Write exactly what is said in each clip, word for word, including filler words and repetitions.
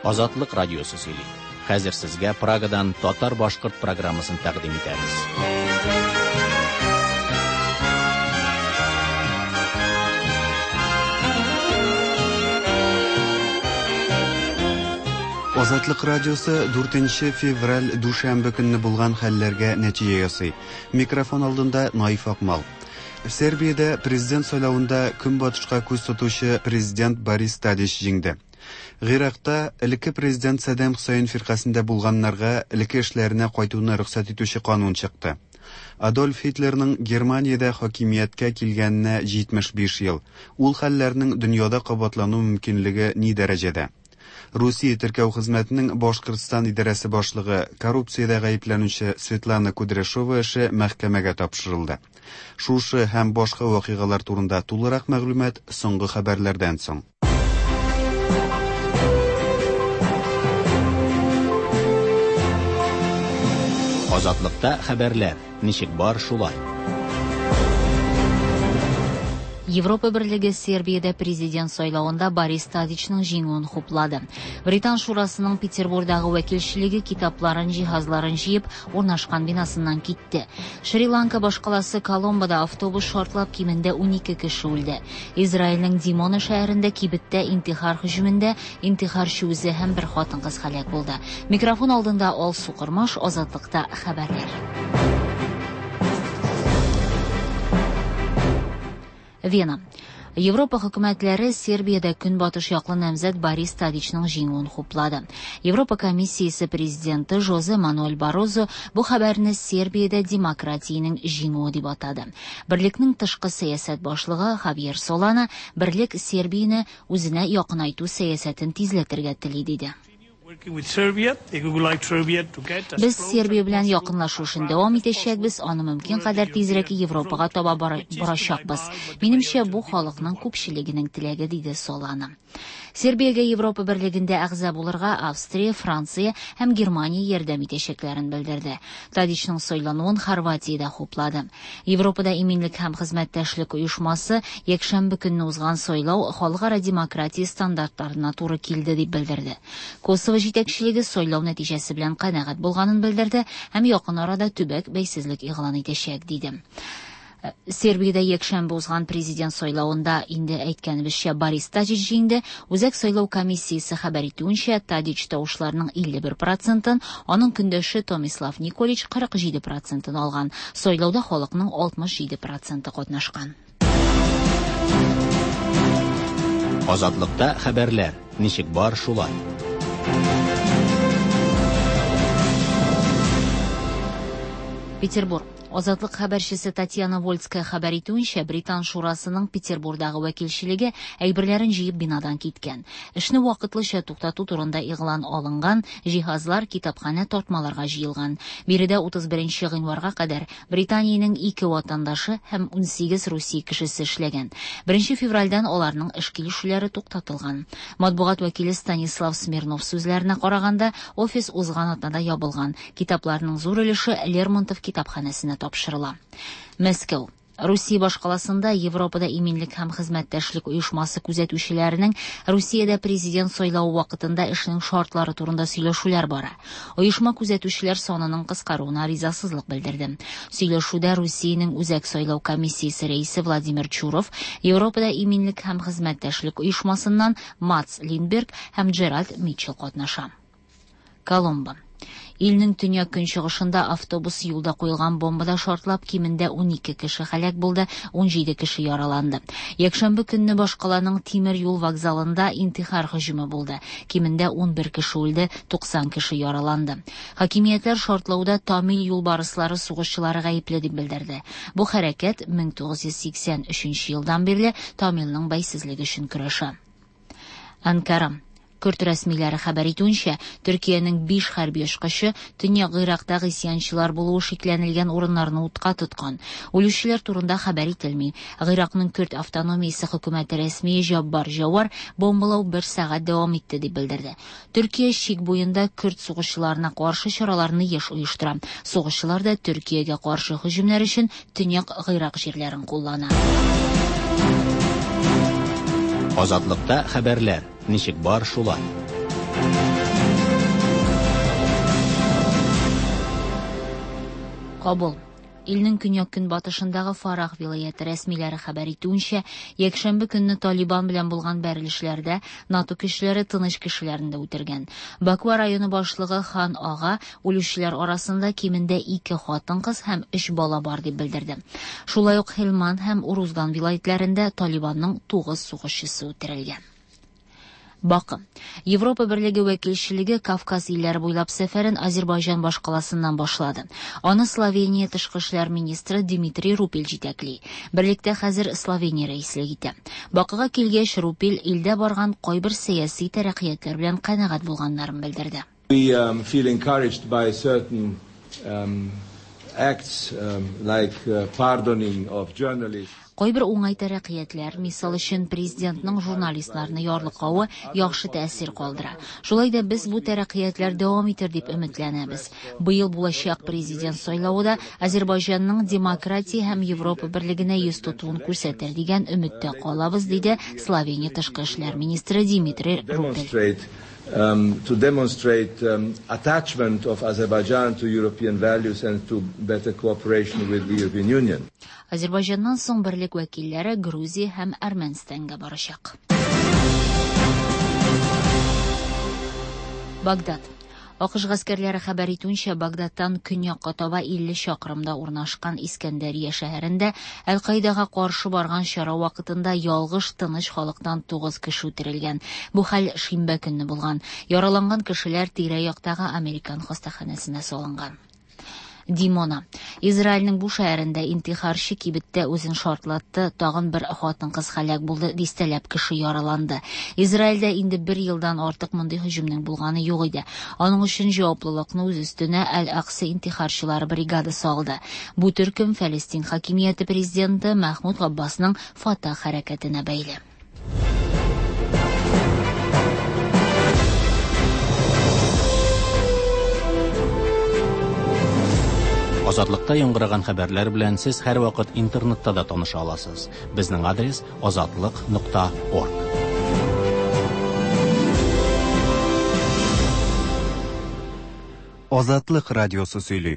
Азатлык радиосы сөйли. Хәзер сезгә Прагадан татар-башкорт программасын тәкъдим итәбез. Азатлык радиосы дүртенче февраль дүшәмбе көнне булган хәлләргә нәтиҗә ясый. Микрофон алдында Наиф Акмал. Сербиядә президент сайлавында көнбатышка күз тотучы президент Борис Тадич җиңде. Гыйракта элекке президент Саддам Хөсәен фиркасендә булганнарга элекке эшләренә кайтуны рөхсәт итүче канун чыкты. Адольф Һитлерның Германиядә хакимияткә килгәненә җитмеш биш ел. Ул хәлләрнең дөньяда кабатлану мөмкинлеге ни дәрәҗәдә? Русия теркәү хезмәтенең Башкортстан идарәсе башлыгы коррупциядә гаепләнүче Светлана Кудряшова эше мәхкәмәгә тапшырылды. Шушы һәм башка вакыйгалар турында тулырак мәгълүмат соңгы хәбәрләрдән соң. Азатлыкта хәбәрләр ничек бар шулай. Европа Берлеге Сербиядә президент сайлавында Борис Тадичның җиңүен хуплады. Британ шурасының Петербургдагы вәкилчелеге китапларын, җиһазларын җыеп, урнашкан бинасыннан китте. Шри-Ланка башкаласы Коломбода автобус шартлап кимендә унике кеше үлде. Израильнең Димона шәһәрендә кибеттә интихар һөҗүмендә интихарчы үзе һәм бер хатын-кыз һәлак булды. Микрофон алдында Алсу Кырмаш, Азатлыкта хәбәрләр. Вена. Европа хөкүмәтләре Сербиядә көнбатыш яклы намзәт Борис Тадичның җиңүен хуплады. Европа комиссиясе президенты Жозе Мануэль Баррозо бу хәбәрне Сербиядә демократиянең җиңүе дип атады. Берлекнең тышкы сәясәт башлыгы Хавьер Солана берлек Сербияне үзенә якынайту сәясәтен тизләтергә тели диде. Без Сербия белән якынлашу эшен дәвам итәчәкбез, аны мөмкин кадәр тизрәк Европага таба барачакбыз. Минемчә, бу халыкның күпчелегенең теләге, диде Солана. Сербиягә Европа Берлегендә әгъза булырга Австрия, Франция һәм Германия ярдәм итәчәкләрен белдерде. Тадичның сайлануын Хорватия дә хуплады. Европада иминлек һәм хезмәттәшлек оешмасы якшәмбе көнне узган сайлау халыкара демократия стандартларына туры килде дип белдерде. Косово җитәкчелеге сайлау нәтиҗәсе белән канәгать булганын белдерде һәм якын арада төбәк бәйсезлек игълан итәчәк диде. Сербиядә якшәмбе узган президент сайлавында инде әйткәнебезчә Борис Тадич җиңде. Үзәк сайлау комиссиясе хәбәр итүенчә, Тадич тавышларының илле бер процентын, аның көндәше Томислав Николич кырык җиде процентын алган. Сайлауда халыкның алтмыш җиде проценты катнашкан. Азатлыкта хәбәрләр ничек бар шулай. Петербург. Азатлык хәбәрчесе Татьяна Вольская хәбәр итүенчә, Британ шурасының Петербургдагы вәкилчелеге әйберләрен җыеп бинадан киткән. Эшне вакытлыча туктату турында игълан алынган, җиһазлар китапханә тартмаларга җыелган. Биредә утыз беренче гыйнварга кадәр Британиянең ике ватандашы һәм унсигез Русия кешесе эшләгән. Беренче февральдән аларның эш килешүләре туктатылган. Матбугат вәкиле Станислав Смирнов сүзләренә караганда, офис узган атнада ябылган. Китапларның зур өлеше Лермонтов китапханәсенә тапшырыла. Мәскәү. Русия башкаласында Европада иминлек һәм хезмәттәшлек оешмасы күзәтүчеләренең Русиядә президент сайлавы вакытында эшнең шартлары турында сөйләшүләр бара. Оешма күзәтүчеләр санының кыскаруына ризасызлык белдерде. Сөйләшүдә Русиянең Үзәк сайлау комиссиясе рәисе Владимир Чуров, Европада иминлек һәм хезмәттәшлек оешмасыннан Матс Линдберг һәм Джеральд Митчелл катнаша. Коломбо. Илнең төньяк көнчыгышында автобус юлда куелган бомбада шартлап кимендә унике кеше һәлак булды, унҗиде кеше яраланды. Якшәмбе көнне башкаланың тимер юл вокзалында интихар һөҗүме булды. Кимендә унбер кеше үлде, туксан кеше яраланды. Хакимиятләр шартлауда Тамил юлбарыслары сугышчылары гаепле дип белдерде. Бу хәрәкәт мең тугыз йөз сиксән өченче елдан бирле Тамилның бәйсезлеге өчен көрәшә. Анкара. Көрд рәсмиләре хәбәр итүенчә, Төркиянең биш хәрби очкычы Төньяк Гыйракта гыйсьянчылар булуы шикләнелгән урыннарны утка тоткан. Үлүчеләр турында хәбәр ителми. Гыйракның Көрд автономиясе хөкүмәте рәсмие Җаббар Җавар бомбалау бер сәгать дәвам итте дип белдерде. Төркия чик буенда көрд сугышчыларына каршы чараларны еш оештыра. Сугышчылар да Төркиягә каршы һөҗүмнәр өчен Төньяк Гыйрак җирләрен куллана. Азатлыкта хәбәрләр ничек бар шулай. Кабул. Илнең көньяк-көнбатышындагы Фарах вилаяте рәсмиләре хәбәр итүенчә, якшәмбе көнне Талибан белән булган бәрелешләрдә НАТО көчләре тыныч кешеләрне дә үтергән. Баква районы башлыгы Хан Ага үлүчеләр арасында кимендә ике хатын-кыз һәм өч бала бар дип белдерде. Шулай ук Хелман һәм Урузган вилаятләрендә Талибанның тугыз сугышчысы үтерелгән. Бакы. Европа Берлеге вәкилчелеге Кавказ илләре буйлап сәфәрен Азербайҗан башкаласыннан башлады. Аны Словения тышкы эшләр министры Дмитрий Рупель җитәкли. Берлектә хәзер Словения рәислек итә. Бакыга килгәч, Рупель илдә барган кайбер сәяси тәрәккыятләр белән канәгать булганнарын белдерде. We um, feel encouraged by certain um, acts um, like uh, pardoning of journalists. Кайбер уңай тәрәккыятләр, мисал өчен президентның журналистларны ярлыкавы яхшы тәэсир калдыра. Шулай да без бу тәрәккыятләр дәвам итер дип өметләнәбез. Быел булачак президент сайлавы да Азербайҗанның демократия һәм Европа берлегенә йөз тотуын күрсәтер дигән өметтә калабыз, диде Словения тышкы эшләр министры Дмитрий Рупель. Um, to demonstrate um, attachment of Azerbaijan to European values and to better cooperation with the European Union. Азербайҗаннан соң берлек вәкилләре Грузия һәм Әрмәнстанга барачак. Багдад. АКШ гаскәрләре хәбәр итүенчә, Багдадтан көньякка таба илле чакрымда урнашкан Искәндәрия шәһәрендә Әл-Каидага каршы барган чара вакытында ялгыш тыныч халыктан тугыз кеше үтерелгән. Бу хәл шимбә көнне булган. Яраланган кешеләр тирә-яктагы Американ хастаханәсенә салынган. Димона. Израильнең бу шәһәрендә интихарчы кибеттә үзен шартлатты, тагын бер хатын-кыз һәлак булды, дистәләп кеше яраланды. Израильдә инде бер елдан артык мондый һөҗүмнең булганы юк иде. Аның өчен җаваплылыкны үз өстенә Әл-Акса интихарчылары бригадасы алды. Бу төркем Фәлестин хакимияте президенты Мәхмүд Габбасның Фатах хәрәкәтенә бәйле. Азатлыкта яңгыраган хәбәрләр белән сез һәрвакыт интернетта да таныша аласыз. Безнең адрес азатлык нокта орг. Азатлык радиосы сөйли.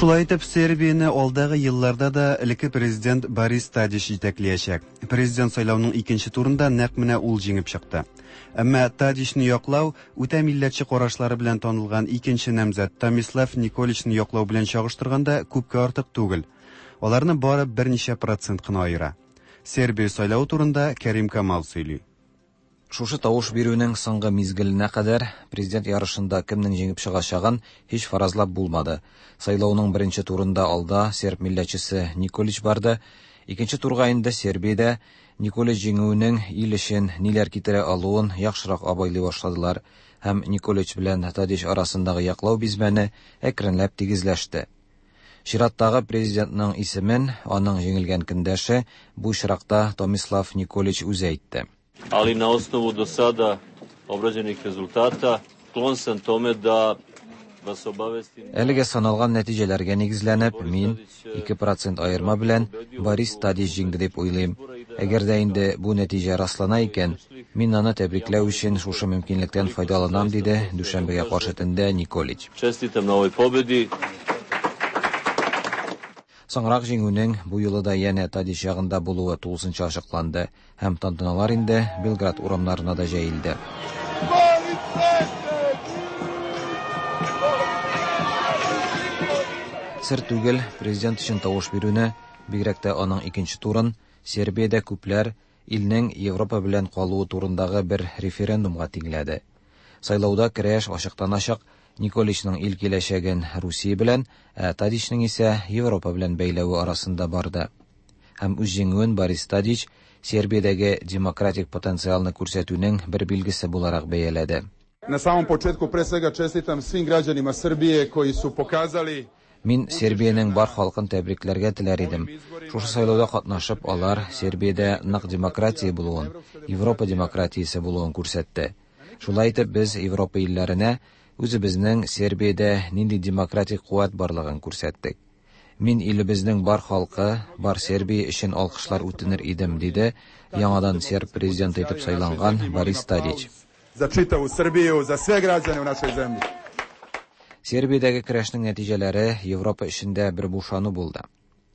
Шулай итеп, Сербияне алдагы елларда да элекке президент Борис Тадич җитәкләячәк. Президент сайлауның икенче турында нәкъ менә ул җиңеп чыкты. Әмма Тадичны яклау үтә милләтче карашлары белән танылган икенче намзәт Томислав Николичны яклау белән чагыштырганда күпкә артык түгел. Аларны бары берничә процент кына аера. Сербия сайлавы турында Кәрим Камал сөйли. Шушы тавыш бирүнең соңгы мизгеленә кадәр президент ярышында кемнең җиңеп чыгачагын һич фаразлап булмады. Сайлауның беренче турында алда серб милләтчесе Николич барды. Икенче турга инде Сербиядә Николич җиңүенең ил өчен ниләр китерә алуын яхшырак абайлый башладылар һәм Николич белән Тадич арасындагы яклау бизмәне әкренләп тигезләште. Чираттагы президентның исемен аның җиңелгән көндәше, бу очракта Томислав Николич үзе әйтте. Ali na osnovu do sada obrađenih rezultata sklon sam tome da vas obavestim. Әлегә саналган нәтиҗәләргә нигезләнеп, мин ике процент аерма белән Борис Тадич җиңде дип уйлыйм. Әгәр дә инде бу нәтиҗә раслана икән, мин аны тәбрикләү өчен шушы мөмкинлектән файдаланам, диде дүшәмбегә каршы төндә Николич. Честитам на овой победи. Соңрак җиңүнең бу юлы да янә Тадич ягында булуы тулысынча ачыкланды һәм тантаналар инде Белград урамнарына да җәелде. Сер түгел, президент өчен тавыш бирүне, бигрәк тә аның икенче турын, Сербиядә күпләр илнең Европа белән калуы турындагы бер референдумга тиңләде. Сайлауда көрәш ачыктан-ачык Николичның ил киләчәген Русия белән, ә Тадичның исә Европа белән бәйләве арасында барды. Һәм үз җиңүен Борис Тадич Сербиядәге демократик потенциалны күрсәтүнең бер билгесе буларак бәяләде. Na samom početku pre svega čestitam svim građanima Srbije koji su pokazali Мин Сербиянең бар халкын тәбрикләргә теләр идем. Шушы сайлауда катнашып, алар Сербиядә нык демократия булуын, Европа демократиясе булуын күрсәтте. Шулай итеп, без Европа илләренә Үзебезнең Сербиядә нинди демократик куәт барлыгын күрсәттек. Мин илебезнең бар халкы, бар Сербия өчен алкышлар үтенер идем, диде яңадан серб президенты итеп сайланган Борис Тадич. За читаву Србiju, за sve građane u našoj zemlji. Сербиядәге көрәшнең нәтиҗәләре Европа эчендә бер бушану булды.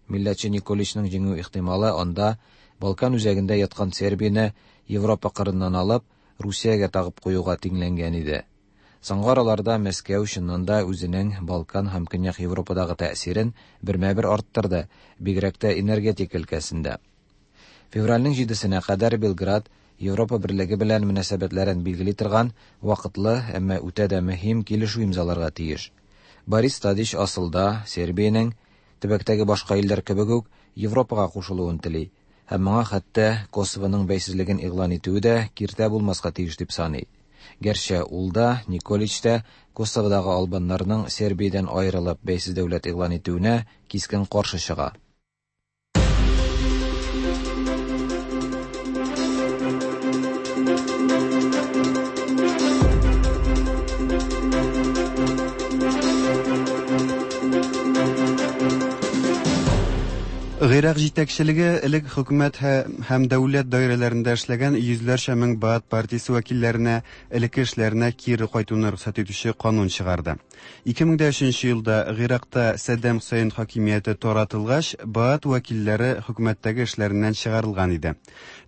Милләтче Николичның җиңү ихтималы анда Балкан үзәгендә яткан Сербияне Европа кырыннан алып, Русиягә тагып куюга тиңләнгән иде. Соңгы араларда Мәскәү чыннан да үзенең Балкан һәм Көньяк Европадагы тәэсирен бермә-бер арттырды, бигрәк тә энергетика өлкәсендә. Февральнең җидесенә кадәр Белград Европа берлеге белән мөнәсәбәтләрен билгели торган вакытлы, әмма үтә дә мөһим килешү имзаларга тиеш. Борис Тадич асылда Сербиянең төбәктәге башка илләр кебек үк Европага кушылуын тели һәм моңа хәтта Косовоның бәйсезлеген игълан итүе дә киртә булмаска тиеш дип саный. Гәрчә ул да, Николич та Косоводагы албаннарның Сербиядән аерылып бәйсез дәүләт игълан итүенә кискен каршы чыга. Гыйрак җитәкчелеге элек хөкүмәт һәм дәүләт даирәләрендә эшләгән йөзләрчә мең Баат партиясе вәкилләренә элекке эшләренә кире кайтуны рөхсәт итүче канун чыгарды. ике мең дә өченче елда Гыйракта Саддам Хусейн хакимияте таратылгач, Баат вәкилләре хөкүмәттәге эшләреннән чыгарылган иде.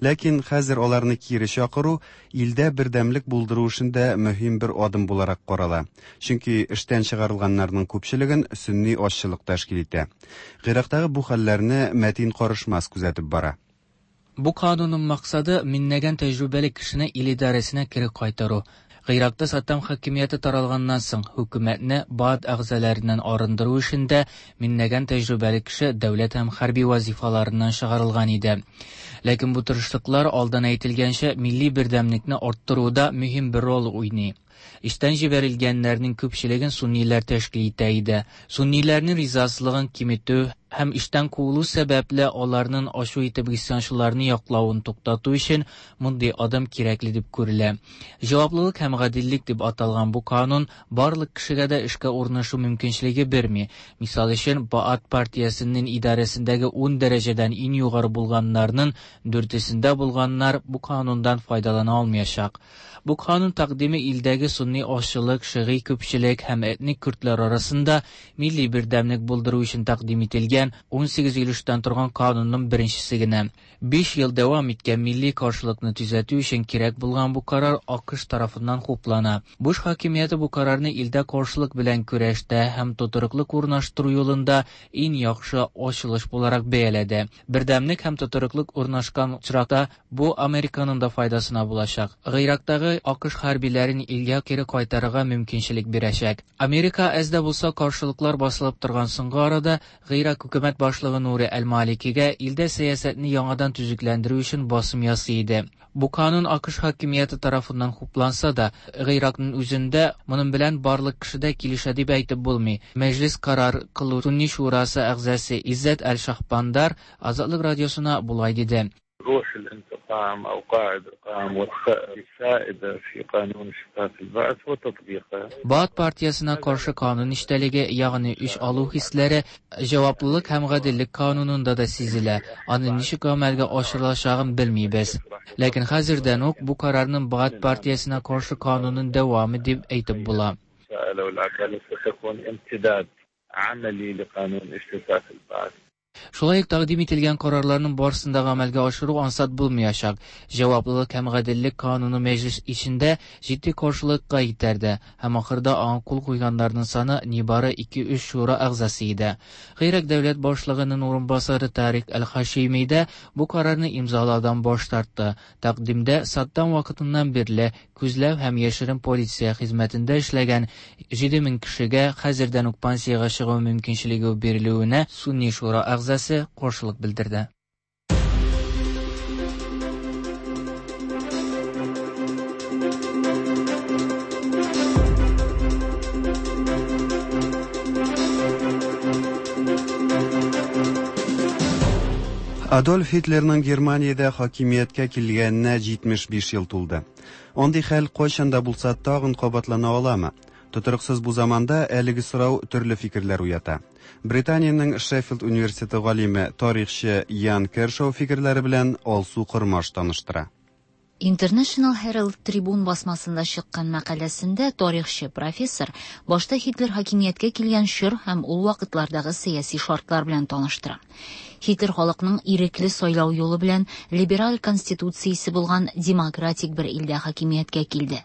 Ләкин хәзер аларны кире чакыру илдә бердәмлек булдыру эшендә мөһим бер адым буларак карала. Чөнки эштән чыгарылганнарның күпчелеген сөнни азчылык тәшкил итә. Гыйрактагы бу хәлләрне Мәтин Карышмас күзәтеп бара. Бу канунның максаты меңләгән тәҗрибәле кешене ил идарәсенә кире кайтару. Гыйракта Саддам хакимияте таралганнан соң хөкүмәтне Баат әгъзаларыннан арындыру эшендә меңләгән тәҗрибәле кеше дәүләт һәм хәрби вазифаларыннан чыгарылган иде. Ләкин бу тырышлыклар алдан әйтелгәнчә милли бердәмлекне арттыруда мөһим бер роль уйный. Эштән җибәрелгәннәрнең күпчелеген сунниләр тәшкил итә иде. Сунниләрнең ризасызлыгын киметү һәм эштән куылу сәбәпле аларның ачу итеп гыйсьянчыларны яклавын туктату өчен мондый адым кирәкле дип күрелә. Җаваплылык һәм гаделлек дип аталган бу канун барлык кешегә дә эшкә урнашу мөмкинчелеге бирми. Мисал өчен, Баат партиясенең идарәсендәге ун дәрәҗәдән иң югары булганнарның дүртесендә булганнар бу канундан файдалана алмаячак. Бу канун тәкъдиме илдәге сунни азчылык, шигый күпчелек һәм этник көрдләр арасында милли бердәмлек булдыру өчен тәкъдим ителгән ун сигез өлештән торган канунның беренчесе генә. Биш ел дәвам иткән милли каршылыкны төзәтү өчен кирәк булган бу карар АКШ тарафыннан хуплана. Буш хакимияте бу карарны илдә каршылык белән көрәштә һәм тотрыклык урнаштыру юлында иң яхшы ачылыш буларак бәяләде. Бердәмлек һәм тотрыклык урнашкан очракта бу Американың да файдасына булачак. Гыйрактагы АКШ хәрбиләрен илгә кире кайтарырга мөмкинчелек бирәчәк. Америка әз дә булса каршылыклар басылып торган соңгы арада Гыйрак хөкүмәт башлыгы Нури әл-Маликигә илдә сәясәтне яңадан төзекләндерү өчен басым ясый иде. Бу канун АКШ хакимияте тарафыннан хупланса да, Гыйракның үзендә моның белән барлык кеше дә килешә дип әйтеп булмый. Мәҗлис карар кылу Сунни шурасы әгъзасы Иззәт әл-Шахбандар Азатлык радиосына болай диде. روح الانتقام أو قاعدة الانتقام والثأر السائدة في قانون اجتثاث البعث وتطبيقه. Баат партиясына каршы канун эчтәлеге, ягъни үч алу хисләре, җаваплылык һәм гаделлек канунында да сизелә. Аны ничек гамәлгә ашырылачагын белмибез. Ләкин хәзердән үк бу карарның Баат партиясына каршы канунын дәвамы дип әйтеп була. Шулай ук тәкъдим ителгән карарларның барысын да гамәлгә ашыру ансат булмаячак. Җаваплылык һәм гаделлек кануны мәҗлис эчендә җитди каршылыкка этәрде һәм ахырда аңа кул куйганнарның саны нибары ике-өч шура әгъзасы иде. Гыйрак дәүләт башлыгының урынбасары Тарик әл-Хашими дә бу карарны имзалаудан баш тартты. Тәкъдимдә Саддам вакытыннан бирле күзләү һәм яшерен полиция хезмәтендә эшләгән җиде мең кешегә хәзердән үк пенсиягә чыгу мөмкинчелеге бирелүенә Сунни шура әгъзасы каршылык белдерде. Адольф Һитлерның Германиядә хакимияткә килгәненә җитмеш биш ел тулды. Андый хәл кайчан да булса тагын кабатлана аламы? Тотрыксыз бу заманда әлеге сорау төрле фикерләр уята. Британиянең Шеффилд университеты галиме, тарихчы Ян Кершоу фикерләре белән Алсу Кормаш таныштыра. International Herald Tribune басмасында чыккан мәкаләсендә тарихчы профессор башта Һитлер хакимияткә килгән чор һәм ул вакытлардагы сәяси шартлар белән таныштыра. Һитлер халыкның ирекле сайлау юлы белән либераль конституциясе булган демократик бер илдә хакимияткә килде.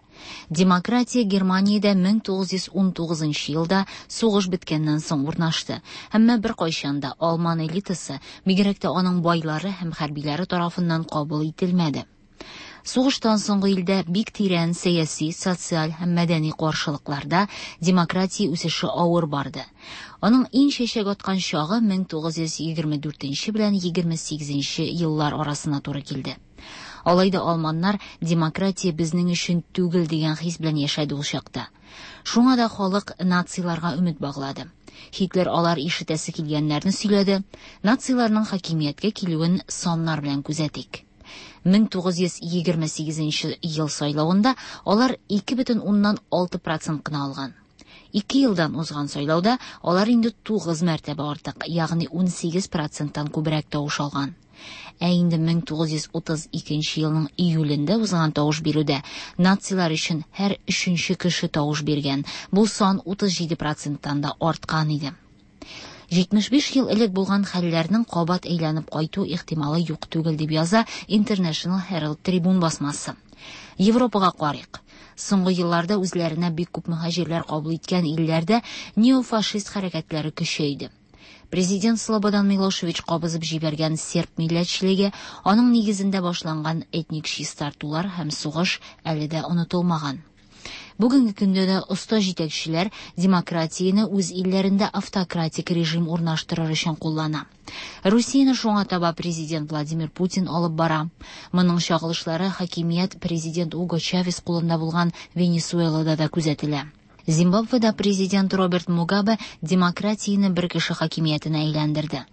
Демократия Германиядә мең тугыз йөз ун тугызынчы елда сугыш беткәннән соң урнашты. Әмма беркайчан да алман элитасы, бигрәк тә аның байлары һәм хәрбиләре тарафыннан кабул ителмәде. Сугыштан соңгы илдә бик тирән сәяси, социаль һәм мәдәни каршылыкларда демократия үсеше авыр барды. Аның иң чәчәк аткан чагы мең тугыз йөз егерме дүртенче белән егерме сигезенче еллар арасына туры килде. Алай да алманнар демократия безнең өчен түгел дигән хис белән яшәде ул чакта. Шуңа да халык нациларга өмет баглады. Һитлер алар ишетәсе килгәннәрне сөйләде. Нациларның хакимияткә килүен саннар белән күзәтик. мең тугыз йөз егерме сигезенче ел сайлавында алар ике бөтен уннан алты процент кына алган. Ике елдан узган сайлауда алар инде тугыз мәртәбә артык, ягъни ун сигез проценттан күбрәк тавыш алган. Ә инде мең тугыз йөз утыз икенче елның июлендә узган тавыш бирүдә нацилар өчен һәр өченче кеше тавыш биргән. Бу сан утыз җиде проценттан да арткан иде. Җитмеш биш ел элек булган хәлләрнең кабат әйләнеп кайту ихтималы юк түгел дип яза International Herald Tribune басмасы. Европага карыйк. Соңгы елларда үзләренә бик күп мөһаҗирләр кабул иткән илләрдә неофашист хәрәкәтләре көчәйде. Президент Слободан Милошевич кабызып җибәргән серб милләтчелеге, аның нигезендә башланган этник чистартулар һәм сугыш әле дә онытылмаган. Бүгенге көндә дә оста җитәкчеләр демократияне үз илләрендә автократик режим урнаштырыр өчен куллана. Русияне шуңа таба президент Владимир Путин алып бара. Моның чагылышлары хакимият президент Уго Чавес кулында булган Венесуэлада да күзәтелә. Зимбабведа президент Роберт Мугабе демократияне бер кеше хакимиятенә әйләндерде.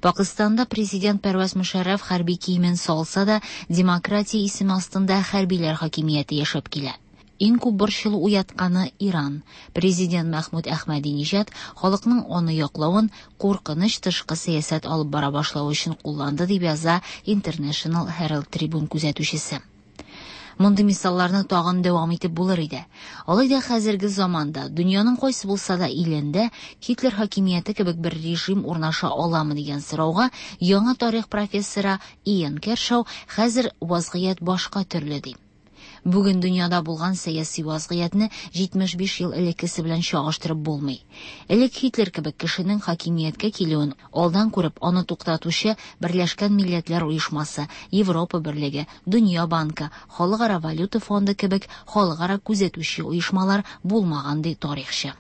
Пакистанда президент Первез Мушарраф хәрби киемен салса да, демократия исеме астында хәрбиләр хакимияте яшәп килә. Иң күп борчылу уятканы Иран. Президент Мәхмүд Әхмәдинежад халыкның аны яклавын куркыныч тышкы сәясәт алып бара башлау өчен кулланды дип яза International Herald Tribune күзәтүчесе. Мондый мисалларны тагын дәвам итеп булыр иде. Алай да хәзерге заманда дөньяның кайсы булса да илендә Һитлер хакимияте кебек бер режим урнаша аламы дигән сорауга яңа тарих профессоры Иэн Кершоу хәзер вазгыять башка төрле ди. Бүген дөньяда булган сәяси вазгыятьне җитмеш биш ел элеккесе белән чагыштырып булмый. Элек Һитлер кебек кешенең хакимияткә килүен алдан күреп аны туктатучы Берләшкән Милләтләр Оешмасы, Европа Берлеге, Дөнья банкы, Халыкара валюта фонды кебек халыкара күзәтүче оешмалар булмаган ди тарихчы.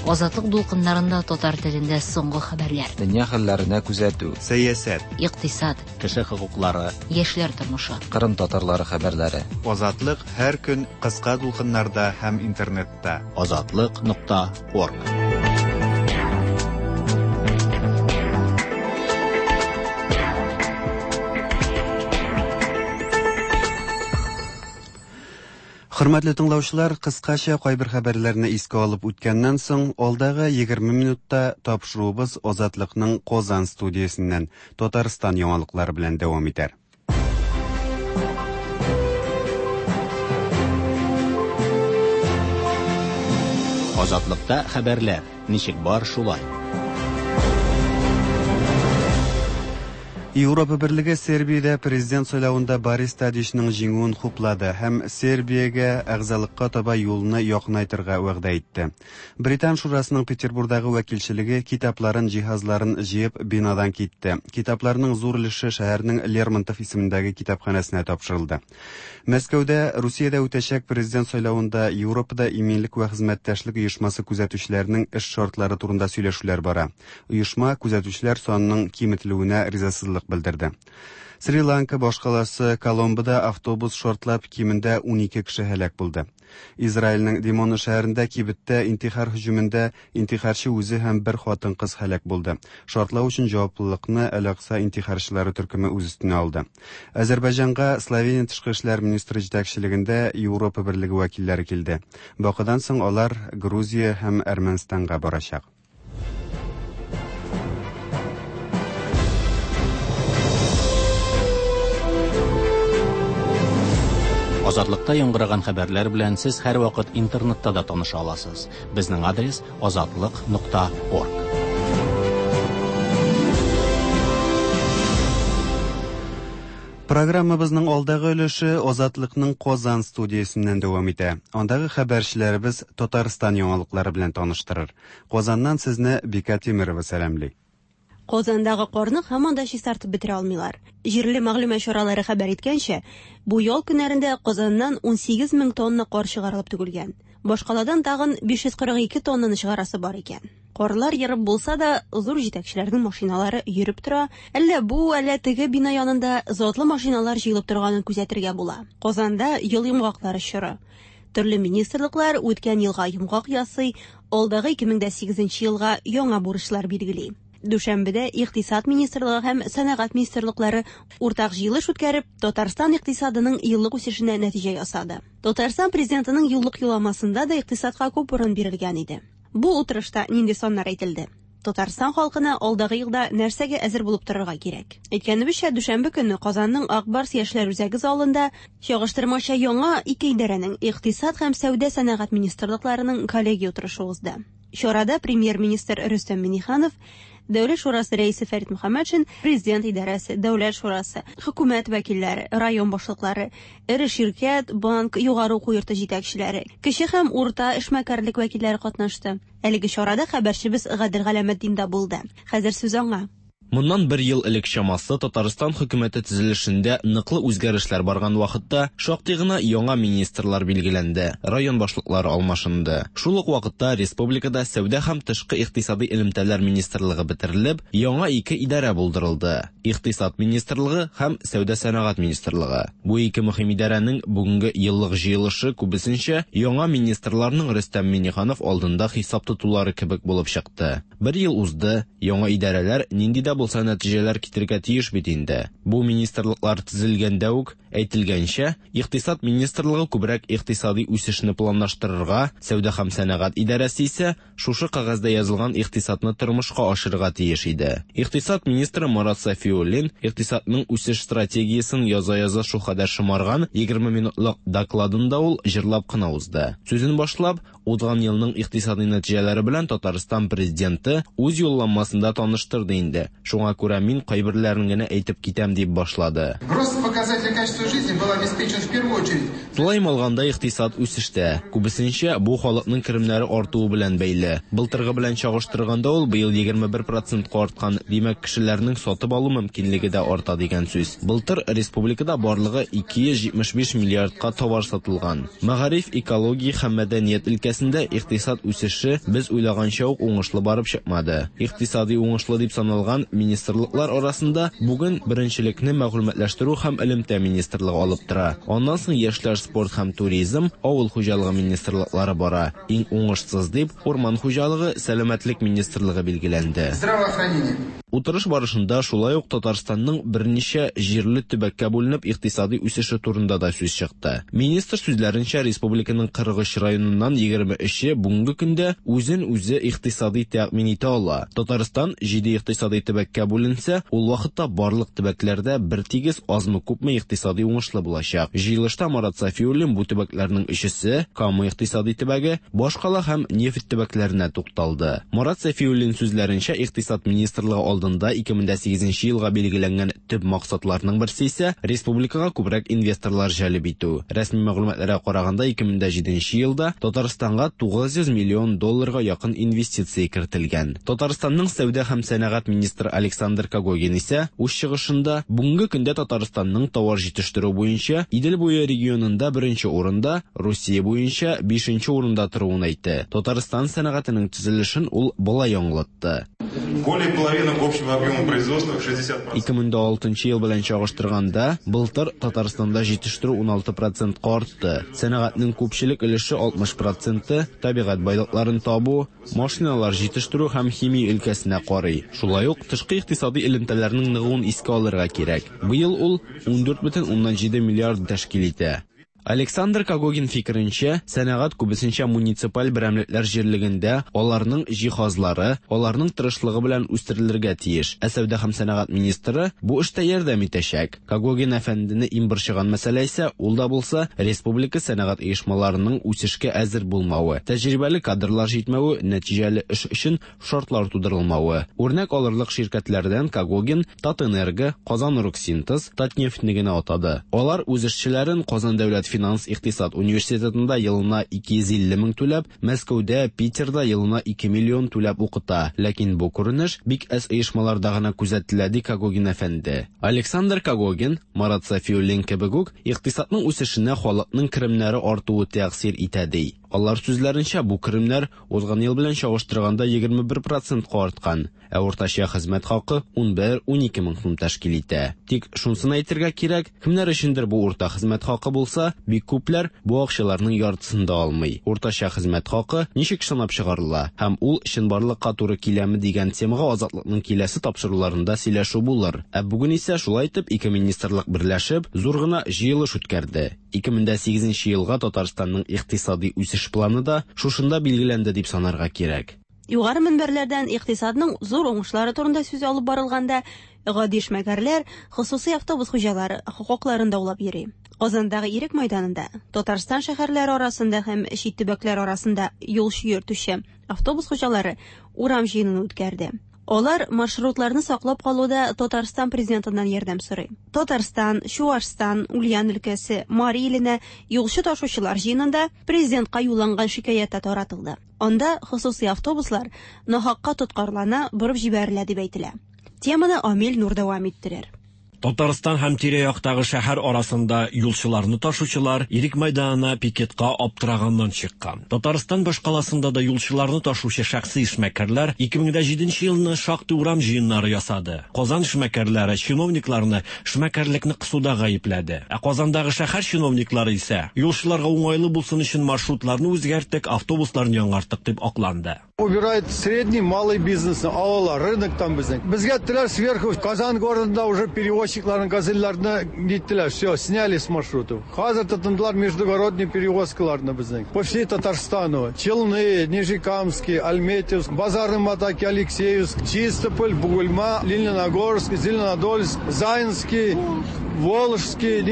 Азатлык дулкыннарында татар телендә соңгы хәбәрләр. Дөнья хәлләренә күзәтү. Сәясәт. Икътисад. Кеше хокуклары. Яшьләр тормышы. Кырым татарлары хәбәрләре. Азатлык һәр көн кыска дулкыннарда һәм интернетта. Азатлык нокта орг. Хөрмәтле тыңлаучылар, кыскача кайбер хәбәрләрне искә алып үткәннән соң, алдагы егерме минутта тапшыруыбыз Азатлыкның Казан студиясеннән Татарстан яңалыклары белән дәвам итәр. Азатлыкта хәбәрләр ничек бар шулай. Европа Берлеге Сербиядә президент сайлавында Борис Тадичның җиңүен хуплады һәм Сербиягә әгъзалыкка таба юлны якынайтырга вәгъдә итте. Британ шурасының Петербургдагы вәкилчелеге китапларын, җиһазларын җыеп бинадан китте. Китапларның зур өлеше шәһәрнең Лермонтов исемендәге китапханәсенә тапшырылды. Мәскәүдә Русиядә үтәчәк президент сайлавында Европада иминлек вә хезмәттәшлек оешмасы күзәтүчеләренең эш шартлары турында сөйләшүләр бара. Оешма күзәтүчеләр санының киметелүенә ризасызлык белдерде. Шри-Ланка башкаласы Коломбода автобус шартлап кимендә унике кеше һәлак булды. Израильнең Димона шәһәрендә кибеттә интихар һөҗүмендә интихарчы үзе һәм бер хатын-кыз һәлак булды. Шартлау өчен җаваплылыкны Әл-Акса интихарчылары төркеме үз өстенә алды. Азәрбайҗанга Словения тышкы эшләр министры җитәкчелегендә Европа берлеге вәкилләре килде. Бакыдан соң алар Грузия һәм Әрмәнстанга барачак. Азатлыкта яңгыраган хәбәрләр белән сез һәрвакыт интернетта да таныша аласыз. Безнең адрес азатлык нокта орг. Программабызның алдагы өлеше Азатлыкның Казан студиясеннән дәвам итә. Андагы хәбәрчеләребез Татарстан яңалыклары белән таныштырыр. Казаннан сезне Бика Тимирова сәламли. Казандагы карны һаман да чистартып бетерә алмыйлар. Җирле мәгълүмат чаралары хәбәр иткәнчә, бу ял көннәрендә Казаннан ун сигез мең тонна кар чыгарылып түгелгән. Башкаладан тагын биш йөз кырык ике тоннаны чыгарасы бар икән. Карлар ерып булса да, зур җитәкчеләрнең машиналары йөреп тора. Әллә бу, әллә теге бина янында затлы машиналар җыелып торганын күзәтергә була. Казанда ел йомгаклары чоры. Төрле министрлыклар үткән елга йомгак ясый, алдагы ике мең дә сигезенче елга яңа бурычлар билгели. Дүшәмбедә Икътисад министрлыгы һәм Сәнәгать министрлыклары уртак җыелыш үткәреп, Татарстан икътисадының еллык үсешенә нәтиҗә ясады. Татарстан президентының еллык юлламасында да икътисадка күп урын бирелгән иде. Бу утырышта нинди саннар әйтелде? Татарстан халкына алдагы елда нәрсәгә әзер булып торырга кирәк? Әйткәнебезчә, дүшәмбе көнне Казанның Ак Барс яшьләр үзәге залында чагыштырмача яңа ике идарәнең Икътисад һәм Сәүдә сәнәгать министрлыкларының коллегия утырышы узды. Чарада премьер-министр Рөстәм Миңнеханов, Дәүләт шурасы рәисе Фәрит Мөхәммәтшин, президент идарәсе, Дәүләт шурасы, хөкүмәт вәкилләре, район башлыклары, эре ширкәт, банк, югары уку йорты җитәкчеләре, кече һәм урта эшмәкәрлек вәкилләре катнашты. Әлеге чарада хәбәрчебез Гадел Галәметдин дә булды. Хәзер сүз аңа. Моннан бер ел элек чамасы Татарстан хөкүмәте төзелешендә ныклы үзгәрешләр барган вакытта шактый гына яңа министрлар билгеләнде, район башлыклары алмашынды. Шул ук вакытта республикада Сәүдә һәм тышкы икътисади элемтәләр министрлыгы бетерелеп, яңа ике идарә булдырылды: Икътисад министрлыгы һәм Сәүдә сәнәгать министрлыгы. Бу ике мөһим идарәнең бүгенге еллык җыелышы күбесенчә яңа министрларның Рөстәм Миңнеханов алдында хисап тотулары кебек булып чыкты. Бер ел узды, яңа идарәләр нинди дә булса нәтиҗәләр китерергә тиеш бит инде. Бу министрлыклар төзелгәндә үк әйтелгәнчә, Икътисад министрлыгы күбрәк икътисади үсешне планлаштырырга, Сәүдә һәм сәнәгать идарәсе исә шушы кәгазьдә язылган икътисадны тормышка ашырырга тиеш иде. Икътисад министры Марат Сафиуллин икътисадның үсеш стратегиясен яза-яза шулкадәр шомарган егерме минутлык докладында ул җырлап кына узды. Сүзен башлап, узган елның икътисади нәтиҗәләре белән Татарстан президенты үз юлламасында таныштырды инде. Шуңа күрә мин кайберләрен генә әйтеп китәм дип башлады. Рост показателей качества жизни был обеспечен в первую очередь. Тулаем алганда икътисад үсештә. Күбесенчә бу халыкның керемнәре артуы белән бәйле. Былтыргы белән чагыштырганда ул быел егерме бер процентка арткан. Димәк, кешеләрнең сатып алу мөмкинлеге дә арта дигән сүз. Былтыр республикада барлыгы ике йөз җитмеш биш миллиардка товар сатылган. Мәгариф, экология һәм мәдәният өлкәсендә икътисад үсеше без уйлаганча ук уңышлы барып чыкмады. Икътисади уңышлы дип саналган министрлыклар арасында бүген беренчелекне мәгълүматлаштыру һәм элемтә министрлыгы алып тора. Аннан соң яшьләр, спорт һәм туризм, авыл хуҗалыгы министрлыклары бара. Иң уңышсыз дип урман хуҗалыгы, сәламәтлек министрлыгы билгеләнде. Здравоохранение. Утырыш барышында шулай ук Татарстанның берничә җирле төбәккә бүленеп икътисади үсеше турында да сүз чыкты. Министр сүзләренчә, республиканың кырык өч районыннан егерме өче бүгенге көндә үзен үзе икътисади тәэмин итә ала. Татарстан җиде икътисади төбәккә бүленсә, ул вакытта барлык төбәкләрдә бер тигез азмы-күпме икътисади уңышлы булачак. Җыелышта Марат Сафиуллин бу төбәкләрнең өчесе Кама икътисади төбәге, башкала һәм нефть төбәкләренә тукталды. Марат Сафиуллин сүзләренчә, Икътисад министрлыгы алдында ике мең дә сигезенче елга билгеләнгән төп максатларның берсе исә республикага күбрәк инвесторлар җәлеп итү. Рәсми мәгълүматларга караганда, ике мең дә җиденче елда Татарстанга тугыз йөз миллион долларга якын инвестиция кертелгән. Татарстанның сәүдә һәм сәнәгать министры Александр Когогин исә үз чыгышында бүгенге көндә Татарстанның товар җитештерү буенча Идел буе регионында беренче урында, Русия буенча бишенче урында торуын әйтте. Татарстан сәнәгатенең төзелешен ул болай аңлатты. Более половины общей Общего объема производства шестьдесят процентов. ике мең дә алтынчы ел белән чагыштырганда, былтыр Татарстанда җитештерү уналты процентка артты. Сәнәгатьнең күпчелек өлеше алтмыш проценты табигать байлыкларын табу, машиналар җитештерү һәм химия өлкәсенә карый. Шулай ук тышкы икътисади элемтәләрнең ныгуын искә алырга кирәк. Быел ул ундүрт бөтен уннан җиде миллиард тәшкил итә. Александр Когогин фикеренчә, сәнәгать күбесенчә муниципаль берәмлекләр җирлегендә аларның җиһазлары, аларның тырышлыгы белән үстерелергә тиеш. Ә сәүдә һәм сәнәгать министры бу эштә ярдәм итәчәк. Когогин әфәндене иң борчыган мәсьәлә исә, ул да булса, республика сәнәгать оешмаларының үсешкә әзер булмавы, тәҗрибәле кадрлар җитмәве, нәтиҗәле эш өчен шартлар тудырылмавы. Үрнәк алырлык ширкәтләрдән Когогин Татэнерго, Казан Оргсинтез, Татнефтьне генә атады. Алар үз эшчеләрен Казан дәүләт финанс икътисад университетында елына ике йөз илле мең түләп, Мәскәүдә, Питерда елына ике миллион түләп укыта. Ләкин бу күренеш бик әз оешмаларда гына күзәтелә, ди Когогин әфәнде. Александр Когогин, Марат Сафиуллин кебек үк, икътисадның үсешенә халыкның керемнәре артуы тәэсир итә, ди. Алар сүзләренчә, бу керемнәр узган ел белән чагыштырганда егерме бер процентка арткан, ә уртача хезмәт хакы унбер унике мең сум тәшкил итә. Тик шунысын әйтергә кирәк, кемнәр өчендер бу урта хезмәт хакы булса, бик күпләр бу акчаларның яртысын да алмый. Уртача хезмәт хакы ничек санап чыгарыла һәм ул чынбарлыкка туры киләме дигән темага Азатлыкның киләсе тапшыруларында сөйләшү булыр. Ә бүген исә шулай итеп ике министрлык берләшеп зур гына җыелыш үткәрде. ике мең дә сигезенче елга Татарстанның икътисади үсеш планы да шушында билгеләнде дип санарга кирәк. Югары мөнбәрләрдән икътисадның зур уңышлары турында сүз алып барылганда, гади эшмәкәрләр, хосусый автобус хуҗалары хокукларын даулап йөри. Казандагы Ирек майданында, Татарстан шәһәрләре арасында һәм чит төбәкләр арасында юлчы йөртүче автобус хуҗалары урам җыенын үткәрде. Алар маршрутларны саклап калуда Татарстан президентыннан ярдәм сорый. Татарстан, Чуашстан, Ульян өлкәсе, Мари иленә юлчы ташучылар җыенында президентка юлланган шикаять тә таратылды. Анда хосусый автобуслар нахакка тоткарлана, борып җибәрелә дип әйтелә. Теманы Амил Нур дәвам иттерер. Татарстан һәм тирә-яктагы шәһәр арасында юлчыларны ташучылар Ирек майданына пикетка аптыраганнан чыккан. Татарстан башкаласында да юлчыларны ташучы шәхси эшмәкәрләр ике мең дә җиденче елны шактый урам җыеннары ясады. Казан эшмәкәрләре чиновникларны эшмәкәрлекне кысуда гаепләде. Ә Казандагы шәһәр чиновниклары исә юлчыларга уңайлы булсын өчен маршрутларны үзгәрттек, автобусларны яңарттык дип акланды. Убирает средний, малый бизнес, алалар, рынок там безнең. Безгә әйттеләр сверху, Казан городында уже перевозчикларны, газельләрне ниттеләр, все, сняли с маршрутов. Хәзер тотындылар междугородний перевозкаларны безнең. По всей Татарстану. Челны, Нижнекамский, Альметьевск, Базарный Матаки, Алексеевск, Чистополь, Бугульма, Лениногорск, Зеленодольск, Заинский, Волжский,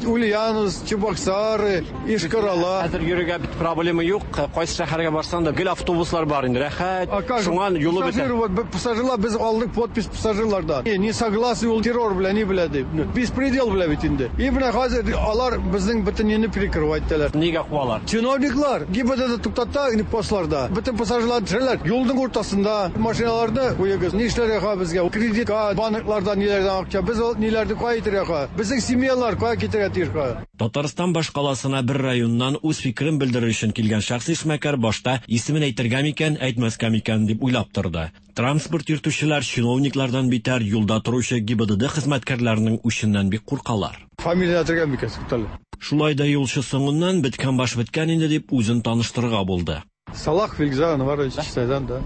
Ульяновск, Чебоксары, Ишкарала. Хәзер йөрергә бит проблема юк. Кайсы шәһәргә барсаң да гел автобуслар бар инде. Рәхәт. Шуңа юлы бетә. Пассажир, вот, пассажирлар без алдык подпись пассажирлардан. Не согласны ул террор белән, ни белә дип. Беспредел белә бит инде. И менә хәзер алар безнең бөтен нине перекрывать итәләр. Нигә куалар? Чиновниклар ГИБДД туктата, инде постларда. Бөтен пассажирлар төшәләр. Юлның уртасында машиналарны куегыз. Ни эшләргә ха безгә? Кредитка, банклардан ниләрдән акча. Без ул ниләрне кая итәргә ха? Безнең семьялар кая китәргә тиеш ха? Татарстан башкаласына бер районнан үз фикерен белдерер өчен килгән шәхси эшмәкәр башта исемен әйтергә микән, әйтмәскә микән дип уйлап торды. Транспорт йөртүчеләр чиновниклардан битәр юлда торучы ГИБДД хезмәткәрләренең үченнән бик куркалар. Фамилия әйтергә микән, Сутал? Шулай да юлчы соңыннан беткән баш беткән инде дип үзен таныштырырга булды. Салах Вильгзар Анварович Чистайдан, да.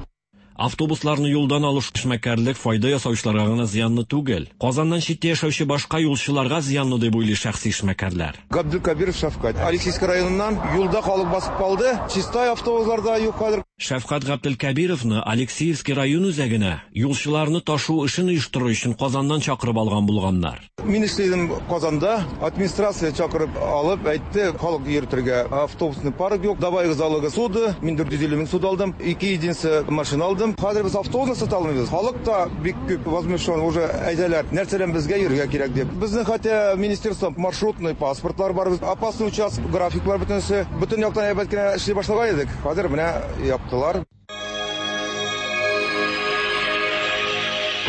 Автобусларны юлдан алыш эшмәкәрлек файда ясаучыларга гына зыянлы түгел. Казаннан читтә яшәүче башка юлчыларга зыянлы дип уйлый шәхси эшмәкәрләр. Габдулкабиров Шәфкать. Алексеевск районыннан юлда халык басып калды. Чистай автобусларда юк хәзер. Шәфкать Габдулкабировны Алексеевский район үзәгенә юлчыларны ташу эшен оештыру өчен Казаннан чакырып алган булганнар. Мин эшләдем Казанда, администрация чакырып алып әйтте, халык йөртергә автобусный парк юк, давай залога суды, мин дүрт йөз илле мең суд алдым, ике единица машина алдым. Хәзер без автобусны сата алмыйбыз. Халык та бик күп возмущен, уже әйтәләр, нәрсәдән безгә йөрергә кирәк дип. Безнең хәтта министерство маршрутный паспортлар бар, опасный участок, графиклар бөтенесе, бөтен яктан әйбәт кенә эшли башлаган идек. Хәзер менә яптылар.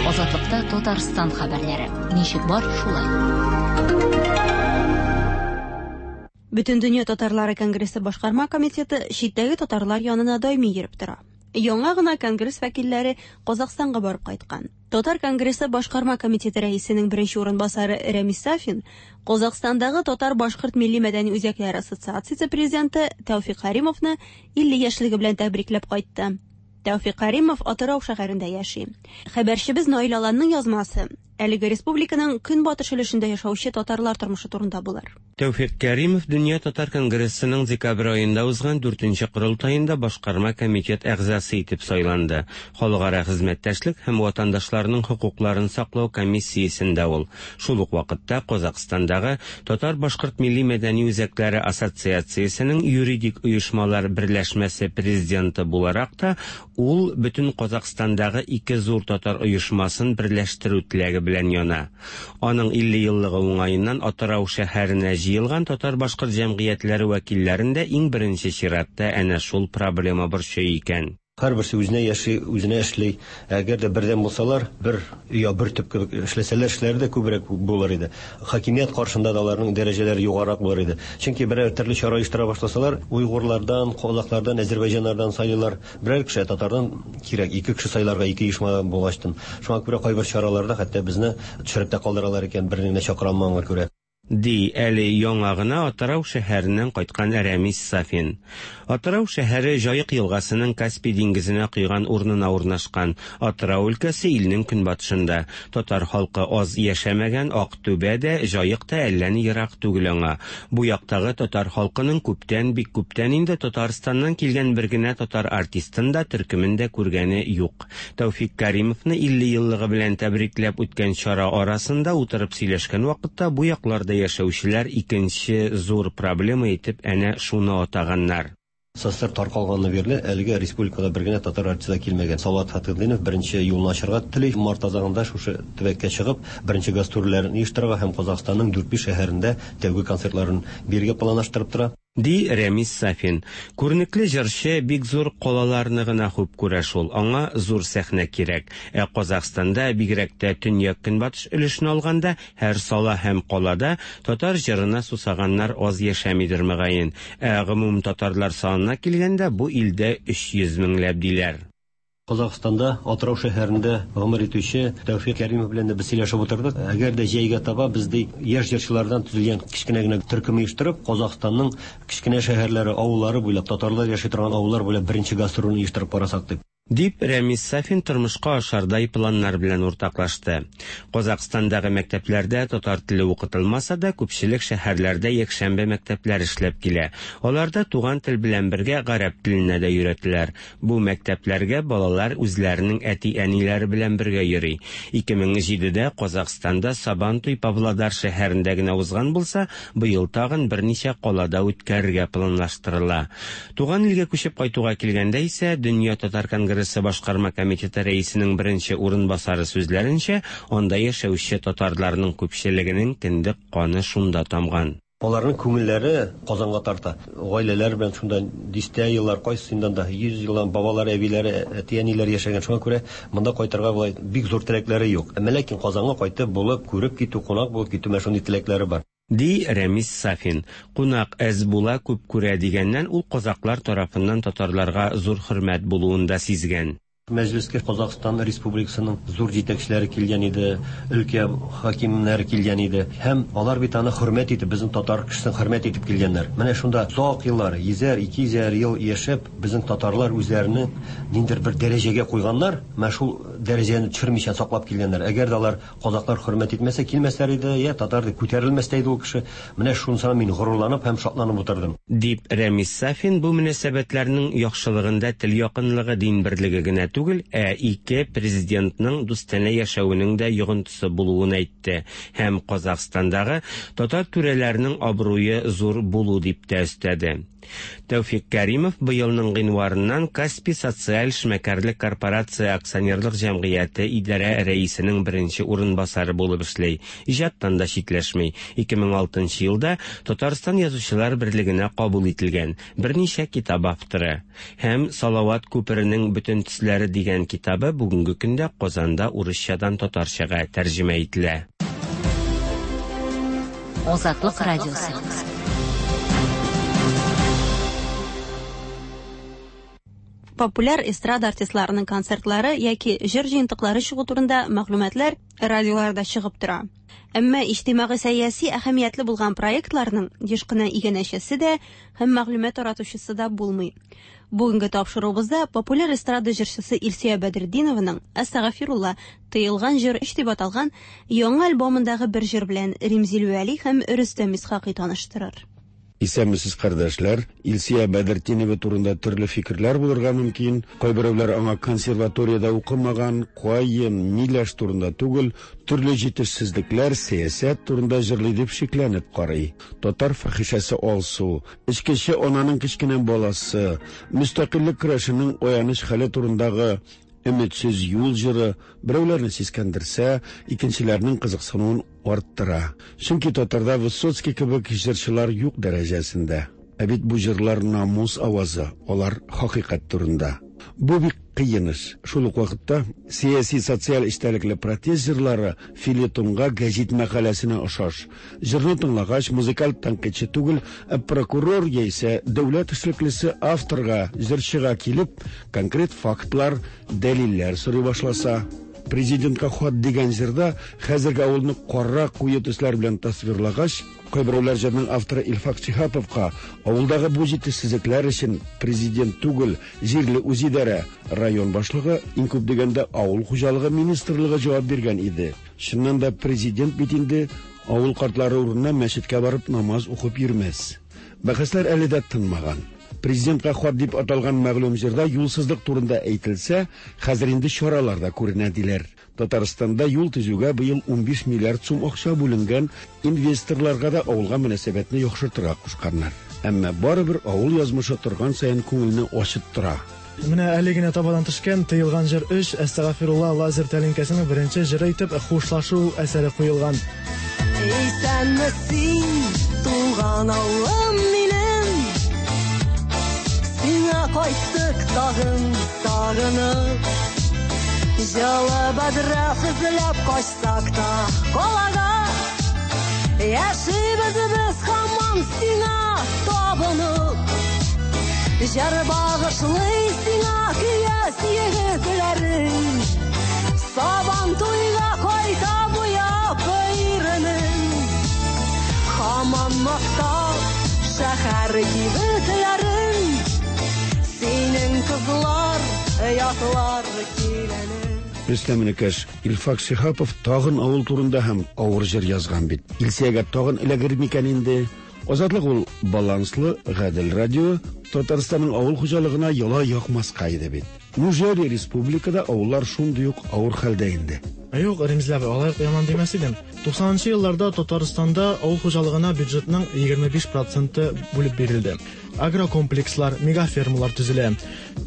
Азатлыкта Татарстан хәбәрләре. Ничек бар, шулай. Бөтендөнья татарлары конгрессы башкарма комитеты читтәге татарлар янына даими йөреп тора. Яңа гына конгресс вәкилләре Казахстанга барып кайткан. Татар конгрессы башкарма комитеты рәисенең беренче урынбасары Рәмис Сафин, Казахстандагы татар-башкорт милли мәдәни үзәкләре ассоциациясе президенты Тәүфик Каримовны илле яшьлеге белән тәбрикләп кайтты. Тәүфик Каримов Атырау шәһәрендә яши. Хәбәрчебез Наил Аланның язмасы әлеге республиканың көнбатыш өлешендә яшәүче татарлар тормышы турында булыр. Тәүфик Каримов Дөнья татар конгрессының декабрь аенда узган дүртенче корылтаенда башкарма комитет әгъзасы итеп сайланды. Халыкара хезмәттәшлек һәм ватандашларның хокукларын саклау комиссиясендә ул. Шул ук вакытта Казахстандагы татар-башкорт милли мәдәни үзәкләре ассоциациясенең юридик оешмалар берләшмәсе президенты буларак та ул бөтен Казахстандагы ике зур татар оешмасын берләштерү теләге белән яна. Аның илле еллыгы уңаеннан Атырау шәһәренә җыелган татар-башкорт җәмгыятьләре вәкилләрендә иң беренче чиратта әнә шул проблема борчый икән. Һәрберсе үзенә яши, үзенә эшли. Әгәр дә бердәм булсалар, бер я бер төп кебек эшләсәләр, эшләре дә күбрәк булыр иде. Хакимият каршында да аларның дәрәҗәләре югарырак булыр иде. Чөнки берәр төрле чара оештыра башласалар, уйгырлардан, казахлардан, әзербайҗаннардан сайлыйлар. Берәр кеше татардан кирәк, ике кеше сайларга ике оешма булачтын. Шуңа күрә кайбер чараларда хәтта безне төшереп тә калдыралар икән, берне генә чакыра алмаганга күрә. Ди әле яңа гына Атырау шәһәреннән кайткан Рәмис Сафин. Атырау шәһәре Җаек елгасының Каспий диңгезенә койган урынына урнашкан. Атырау өлкәсе илнең көнбатышында. Татар халкы аз яшәмәгән Актүбә дә, Җаек та әллә ни ерак түгел аңа. Бу яктагы татар халкының күптән, бик күптән инде Татарстаннан килгән бер генә татар артистын да, төркемен дә күргәне юк. Тәүфик Каримовны илле еллыгы белән тәбрикләп үткән чара арасында утырып сөйләшкән вакытта бу якларда яшәүчеләр икенче зур проблема итеп әнә шуны атаганнар. СССР таркалганны бирле әлегә республикада бер генә татар артисты килмәгән. Салават Фәтхетдинов беренче юлны ачарга тели. Март азагында шушы төбәккә чыгып, беренче гастрольләрен оештырырга һәм Казахстанның дүрт-биш шәһәрендә тәүге концертларын бирергә планлаштырып тора. Ди Рәмис Сафин. Күренекле җырчы бик зур калаларны гына хуп күрә шул. Аңа зур сәхнә кирәк. Ә Казахстанда бигрәк тә төньяк-көнбатыш өлешен алганда һәр сала һәм калада татар җырына сусаганнар аз яшәмидер мөгаен. Ә гомум татарлар санына килгәндә бу илдә өч йөз меңләп диләр. Казахстанда Атырау шәһәрендә гомер итүче Тәүфик Каримов белән дә без сөйләшеп утырдык. Әгәр дә җәйгә таба без ди яшь җырчылардан төзелгән кечкенә генә төркем оештырып, Казахстанның кечкенә шәһәрләре, авыллары буйлап, татарлар яши торган авыллар буйлап беренче гастрольне оештырып карасак дип. Дип Рәмис Сафин тормышка ашардай планнар белән уртаклашты. Казахстандагы мәктәпләрдә татар теле укытылмаса да, күпчелек шәһәрләрдә якшәмбе мәктәпләр эшләп килә. Аларда туган тел белән бергә гарәп теленә дә өйрәтеләр. Бу мәктәпләргә балалар үзләренең әти-әниләре белән бергә йөри. ике мең җидедә Казахстанда Сабантуй Павлодар шәһәрендә генә узган булса, быел тагын берничә калада үткәрергә планлаштырыла. Туган илгә күчеп кайтуга килгәндә исә Дөнья татар конгрессы башкарма комитеты рәисенең беренче урынбасары сүзләренчә, анда яшәүче татарларның күпчелегенең кендек каны шунда тамган. Аларның күңелләре Казанга тарта. Гаиләләр белән шунда дистә еллар, кайсысыннан да йөз елдан бабалары, әбиләре, әти-әниләре яшәгән. Шуңа күрә монда кайтырга болай бик зур теләкләре юк. Әмма ләкин Казанга кайтып булып, күреп китү, кунак булып китү, менә шундый теләкләре бар. Ди Рәмис Сафин. Кунак әз була, күп күрә дигәннән ул казаклар тарафыннан татарларга зур хөрмәт булуын да сизгән. Мәҗлескә Казахстан Республикасының зур җитәкчеләре килгән иде, өлкә хакимнәре килгән иде. Һәм алар бит аны хөрмәт итеп, безнең татар кешесен хөрмәт итеп килгәннәр. Менә шунда озак еллар, йөзәр, ике йөзәр ел яшәп, безнең татарлар үзләренең ниндидер бер дәрәҗәгә куйганнар, менә шул дәрәҗәне төшермичә саклап килгәннәр. Әгәр дә алар казаклар хөрмәт итмәсә, килмәсләр иде, я татар дип күтәрелмәс тә иде ул кеше. Менә шунысына мин горурланып һәм шатланып утырдым. Дип Рәмис Сафин бу мөнәсәбәтләрнең яхшылыгында тел якынлыгы, дин берлеге генә түгел, ә ике президентның дустанә яшәвенең дә йогынтысы булуын әйтте һәм Казахстандагы татар түрәләренең абруе зур булу дип тә өстәде. Тәүфик Каримов быелның гыйнварыннан Каспий социаль эшмәкәрлек корпорация акционерлык җәмгыяте идарә рәисенең беренче урынбасары булып эшли. Иҗаттан да читләшми. ике мең алтынчы елда Татарстан язучылар берлегенә кабул ителгән берничә китап авторы һәм Салават күперенең бөтен төсләре дигән китабы бүгенге көндә Казанда урысчадан татарчага тәрҗемә ителә. Азатлык радиосы. Популяр эстрада артистларының концертлары яки җыр җыентыклары чыгу турында мәгълүматлар радиоларда чыгып тора. Әмма иҗтимагый-сәяси әһәмиятле булган проектларның еш кына иганәчесе дә һәм мәгълүмат таратучысы да булмый. Бүгенге тапшыруыбызда популяр эстрада җырчысы Илсөя Бәдретдинованың «Әстәгъфирулла» тыелган җыр өч дип аталган яңа альбомындагы бер җыр белән Римзил Вәли һәм Рөстәм Исхакый таныштырыр. Исәнмесез, кардәшләр. Илсөя Бәдретдинова турында төрле фикерләр булырга мөмкин. Кайберәүләр аңа консерваториядә укымаган, каен, миләш турында түгел, төрле җитешсезлекләр, сәясәт турында җырлый дип шикләнеп карый. Татар фахишәсе Алсу, эчкече ананың кечкенә баласы, мөстәкыйльлек көрәшенең аяныч хәле турындагы өметсез юл җыры берәүләрне сискәндерсә, икенчеләрнең кызыксынуын арттыра. Чөнки татарда Высоцкий кебек җырчылар юк дәрәҗәсендә. Ә бит бу җырлар намус авазы, алар хакыйкать турында. Бу бик кыен эш. Шул ук вакытта сәяси социаль эчтәлекле протест җырлары фельетонга, гәзит мәкаләсенә охшаш. Җырны тыңлагач, музыкаль тәнкыйтьче түгел, ә прокурор яисә дәүләт эшлеклесе авторга, җырчыга килеп, конкрет фактлар, дәлилләр сорый башласа, президентка хат дигән җырда хәзерге авылны кара куе төсләр белән тасвирлагач, кайберәүләр җырның авторы Илфак Шиһаповка авылдагы бу җитешсезлекләр өчен президент түгел, җирле үзидарә, район башлыгы, иң күп дигәндә авыл хуҗалыгы министрлыгы җавап биргән иде. Чыннан да президент бит инде авыл картлары урынына мәчеткә барып намаз укып йөрмәс. Бәхәсләр әле дә тынмаган. Президентка хат дип аталган мәгълүм җырда юлсызлык турында әйтелсә, хәзер инде чаралар да күренә диләр. Татарстанда юл төзүгә быел унбиш миллиард сум акча бүленгән, инвесторларга да авылга мөнәсәбәтне яхшыртырга кушканнар. Әмма барыбер авыл язмышы торган саен күңелне ачыттыра. Менә әле генә табадан төшкән тыелган җыр өч Әстәгъфирулла лазер тәлинкәсенең беренче җыры итеп хушлашу әсәре куелган. Исәнме син, туган авылым минем, сиңа кайттык тагын сагынып. Җылы бәдрәф эзләп качсак та калага, яшибез без һаман сиңа табынып. Җыр багышлый сиңа көяз егетләрең, Сабан туйга кайта буяп иренең. Һаман мактап шәһәр кибетләрен, синең кызлар, ятлар киләне. Рөстәм энекәш, Илфак Шиһапов тагын авыл турында һәм авыр җыр язган бит. Илсөягә тагын эләгер микән инде? Азатлык ул баланслы, гадел радио, Татарстанның авыл хуҗалыгына яла якмаска иде бит. Неужели республикада авыллар шундый ук авыр хәлдә инде? Юк, Римзил абый, алай ук яман димәс идем. Туксанынчы елларда Татарстанда авыл хуҗалыгына бюджетның егерме биш проценты бүлеп бирелде. Агрокомплекслар, мегафермалар төзелә.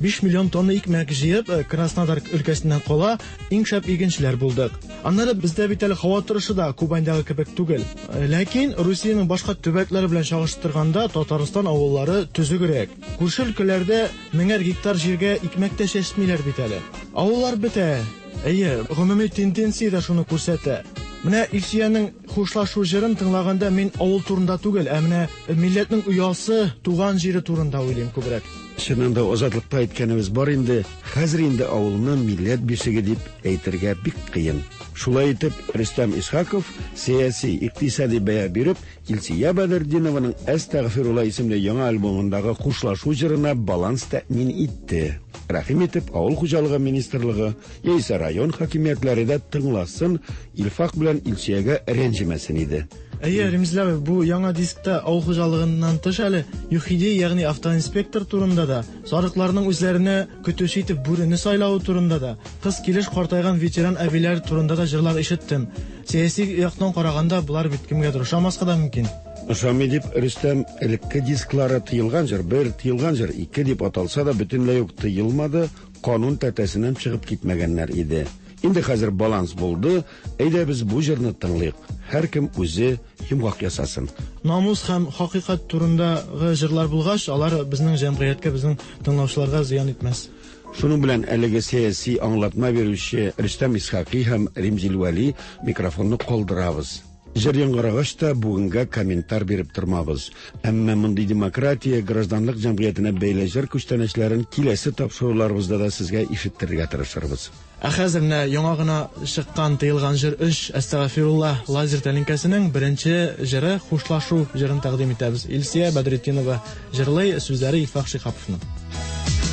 Биш миллион тонна икмәк җыеп, Краснодар өлкәсеннән кала иң шәп игенчеләр булдык. Аннары бездә бит әле һава торышы да Кубаньдагы кебек түгел. Ләкин Русиянең башка төбәкләре белән чагыштырганда Татарстан авыллары төзегрәк. Күрше өлкәләрдә меңәр гектар җиргә икмәк тә чәчмиләр бит әле. Авыллар бетә. Әйе, гомуми тенденция дә шуны күрсәтә. Менә Илсөянең хушлашу җырын тыңлаганда мин авыл турында түгел, ә менә милләтнең оясы, туган җире турында уйлыйм күбрәк. Чыннан да Азатлыкта әйткәнебез бар инде, хәзер инде авылны милләт бишеге дип әйтергә бик кыен. Шулай итеп, Рөстәм Исхаков сәяси, икътисади бәя биреп, Илсөя Бәдретдинованың Әстәгъфирулла исемле яңа альбомындагы хушлашу җырына баланс тәэмин итте. Рәхим итеп, авыл хуҗалыгы министрлыгы яисә район хакимиятләре дә тыңласын, Илфак белән Илсөягә рәнҗемәсен иде. Әйе, Римзил абый, бу яңа дискта авыл хуҗалыгыннан тыш әле ЮХИДИ, ягъни автоинспектор турында да, сарыкларның үзләренә көтүче итеп бүрене сайлавы турында да, кыз килеш картайган ветеран әбиләр турында да җырлар ишеттем. Сәяси яктан караганда булар бит кемгәдер ошамаска да мөмкин. Ошамый дип Рөстәм элекке дисклары тыелган җыр бер, тыелган җыр ике дип аталса да бөтенләй үк тыелмады, канун тәртәсеннән чыгып китмәгәннәр иде. Инде хәзер баланс булды, әйдә без бу җырны тыңлыйк. Һәркем үзе йомгак ясасын. Намус һәм хакыйкать турындагы җырлар булгач, алар безнең җәмгыятькә, безнең тыңлаучыларга зыян итмәс. Шуның белән әлеге сәяси аңлатма бирүче Рөстәм Исхакый һәм Римзил Вәли микрофонны калдырабыз. Җыр яңгырагач та бүгенгә комментар биреп тормабыз. Әмма мондый демократия, гражданлык җәмгыятенә бәйле җыр күчтәнәчләрен киләсе тапшыруларыбызда да сезгә ишеттерергә тырышырбыз. Ә хәзер менә яңа гына чыккан тыелган җыр өч Әстәгъфирулла лазер тәлинкәсенең беренче җыры Хушлашу җырын тәкъдим итәбез. Илсия Бәдретдинова җырлый, сүзләре Илфак Шиһаповның.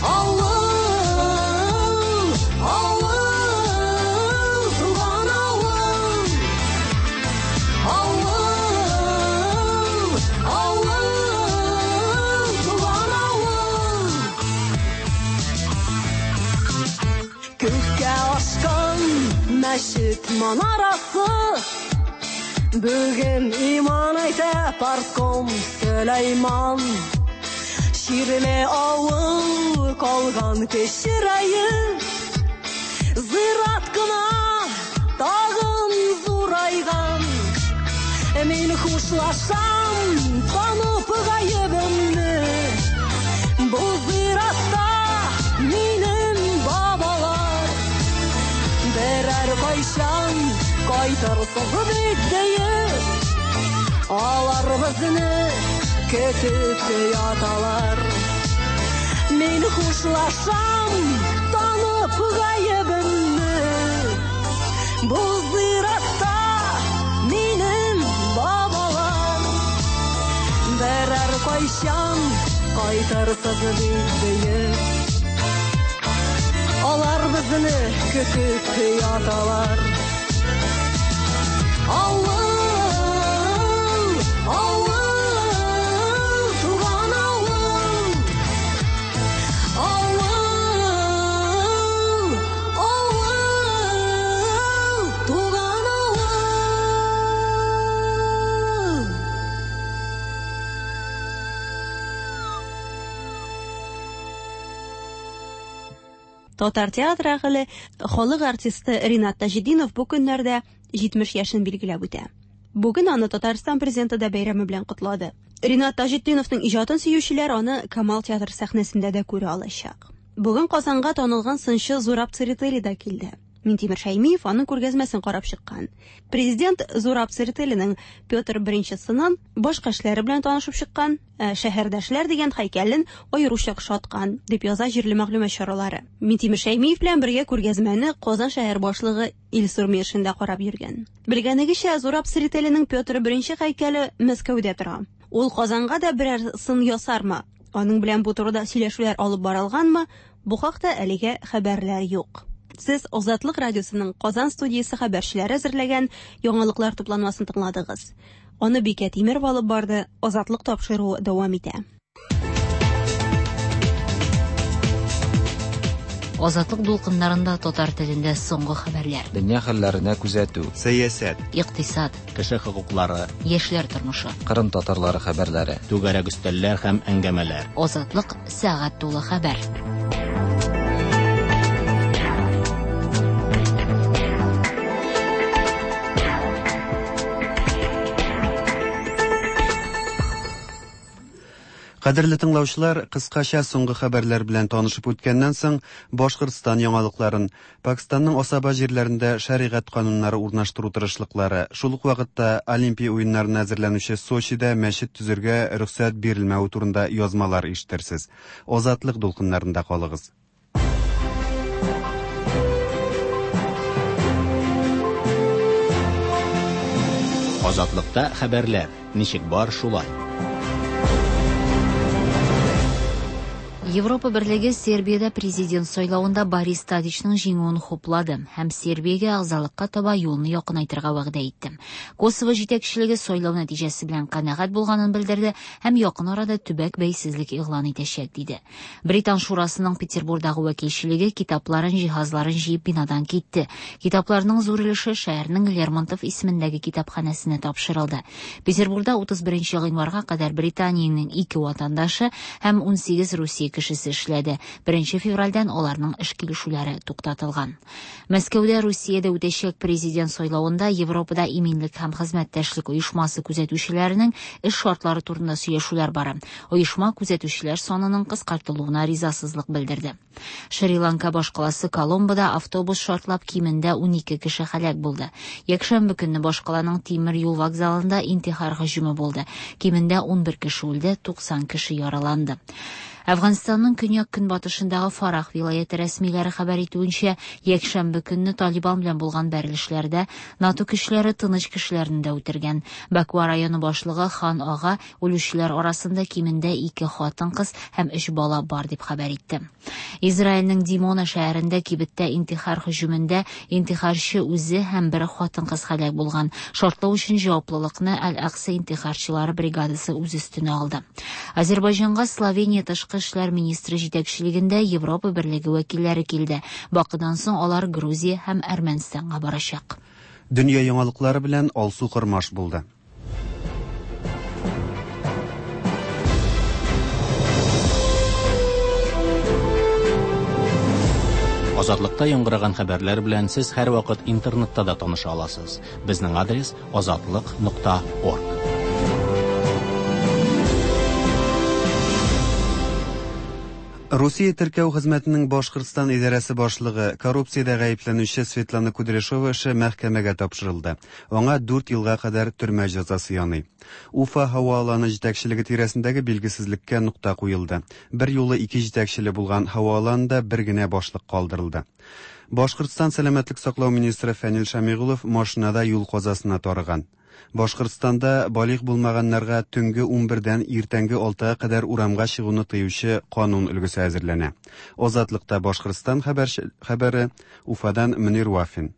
Авыл, авыл, туган авыл. Авыл, авыл, туган авыл. Күккә ашкан мәчет манарасы, бүген иман әйтә партком Сөләйман. Ширле авыл калган кечерәеп, зират кына тагын зурайган. Мин хушлашам, танып гаебемне, бу зиратта минем бабалар. Берәр кайчан кайтырсыз бит диеп, алар безне көтеп яталар. Мин хушлашам, танып гаебемне, бу зиратта минем бабалар. Берәр кайчан кайтырсыз бит диеп, алар безне көтеп яталар. Авыл, авыл, туган авыл. Авыл, авыл, туган авыл. Татар театры әһеле, халык артисты Ринат Таҗетдинов бу көннәрдә җитмеш яшен билгеләп үтә. Бүген аны Татарстан президенты да бәйрәме белән котлады. Ринат Таҗетдиновның иҗатын сөючеләр аны Камал театры сәхнәсендә дә күрә алачак. Бүген Казанга танылган сынчы Зураб Церетели да килде. Минтимер Шәймиев аның күргәзмәсен карап чыккан. Президент Зураб Церетелиның Петр Беренче сынын башка эшләре белән танышып чыккан, ә шәһәрдәшләр дигән һәйкәлен аеруча ошаткан, дип яза җирле мәгълүмат чаралары. Минтимер Шәймиев белән бергә күргәзмәне Казан шәһәр башлыгы Илсур Метшин дә карап йөргән. Белгәнегезчә, Зураб Церетелиның Петр Беренче һәйкәле Мәскәүдә тора. Ул Казанга да берәр сын ясармы? Аның белән бу турыда сөйләшүләр алып барылганмы? Бу хакта әлегә хәбәрләр юк. Сез Азатлык радиосының Казан студиясе хәбәрчеләре әзерләгән яңалыклар тупланмасын тыңладыгыз. Аны Бикә Тимерова алып барды. Азатлык тапшыруы дәвам итә. Азатлык дулкыннарында татар телендә соңгы хәбәрләр. Дөнья хәлләренә күзәтү, сәясәт, икътисад, кеше хокуклары, яшьләр тормышы, Кырым татарлары хәбәрләре, түгәрәк өстәлләр һәм әңгәмәләр. Азатлык сәгать тулы хәбәр. Кадерле тыңлаучылар, кыскача соңгы хәбәрләр белән танышып үткәннән соң, Башкортстан яңалыкларын, Пакистанның асаба җирләрендә шәригать кануннары урнаштыру тырышлыклары, шул ук вакытта Олимпия уеннарына әзерләнүче Сочида мәчет төзергә рөхсәт бирелмәве турында язмалар ишетерсез. Азатлык дулкыннарында калыгыз. Азатлыкта хәбәрләр ничек бар шулай. Европа Берлеге Сербиядә президент сайлавында Борис Тадичның җиңүен хуплады һәм Сербиягә әгъзалыкка таба юлны якынайтырга вәгъдә итте. Косово җитәкчелеге сайлау нәтиҗәсе белән канәгать булганын белдерде һәм якын арада төбәк бәйсезлек игълан итәчәк диде. Британ шурасының Петербургдагы вәкилчелеге китапларын, җиһазларын җыеп бинадан китте. Китапларның зур өлеше шәһәрнең Лермонтов исемендәге китапханәсенә тапшырылды. Петербургда утыз беренче гыйнварга кадәр Британиянең ике ватандашы һәм ун сигез Русия кешесе эшләде. Беренче февральдән аларның эш килешүләре туктатылган. Мәскәүдә Русиядә үтәчәк президент сайлавында Европада иминлек һәм хезмәттәшлек оешмасы күзәтүчеләренең эш шартлары турында сөйләшүләр бара. Оешма күзәтүчеләр санының кыскартылуына ризасызлык белдерде. Шри-Ланка башкаласы Коломбода автобус шартлап кимендә унике кеше һәлак булды. Якшәмбе көнне башкаланың тимер юл вокзалында интихар һөҗүме булды. Кимендә унбер кеше үлде, туксан кеше яраланды. Әфганстанның көньяк-көнбатышындагы Фарах вилаяте рәсмиләре хәбәр итүенчә, якшәмбе көнне Талибан белән булган бәрелешләрдә НАТО көчләре тыныч кешеләрне дә үтергән. Баква районы башлыгы Хан Ага үлүчеләр арасында кимендә ике хатын-кыз һәм өч бала бар дип хәбәр итте. Израильнең Димона шәһәрендә кибеттә интихар һөҗүмендә интихарчы үзе һәм бер хатын-кыз һәлак булган. Шартлау өчен җаваплылыкны Аль-Акса интихарчылары бригадасы үз өстенә алды. Азербайҗанга Словения тышкы эшләр министры җитәкчелегендә Европа Берлеге вәкилләре килде. Бакыдан соң алар Грузия һәм Әрмәнстанга барачак. Дөнья яңалыклары белән Алсу Кормаш булды. Азатлыкта яңгыраган хәбәрләр белән сез һәрвакыт интернетта да таныша аласыз. Безнең адрес азатлык нокта орг. Русия теркәү хезмәтенең Башкортстан идарәсе башлыгы коррупциядә гаепләнүче Светлана Кудряшова эше мәхкәмәгә тапшырылды. Аңа дүрт елга кадәр төрмә җәзасы яный. Уфа һава аланы җитәкчелеге тирәсендәге билгесезлеккә нокта куелды. Бер юлы ике җитәкчеле булган һава аланында бер генә башлык калдырылды. Башкортстан сәламәтлек саклау министры Фәнил Шамигулов машинада юл казасына тарыган. Башкортстанда балигъ булмаганнарга төнге унбердән иртәнге алтыга кадәр урамга чыгуны тыючы канун өлгесе әзерләнә. Азатлыкта Башкортстан хәбәре Уфадан Мөнир Вафин.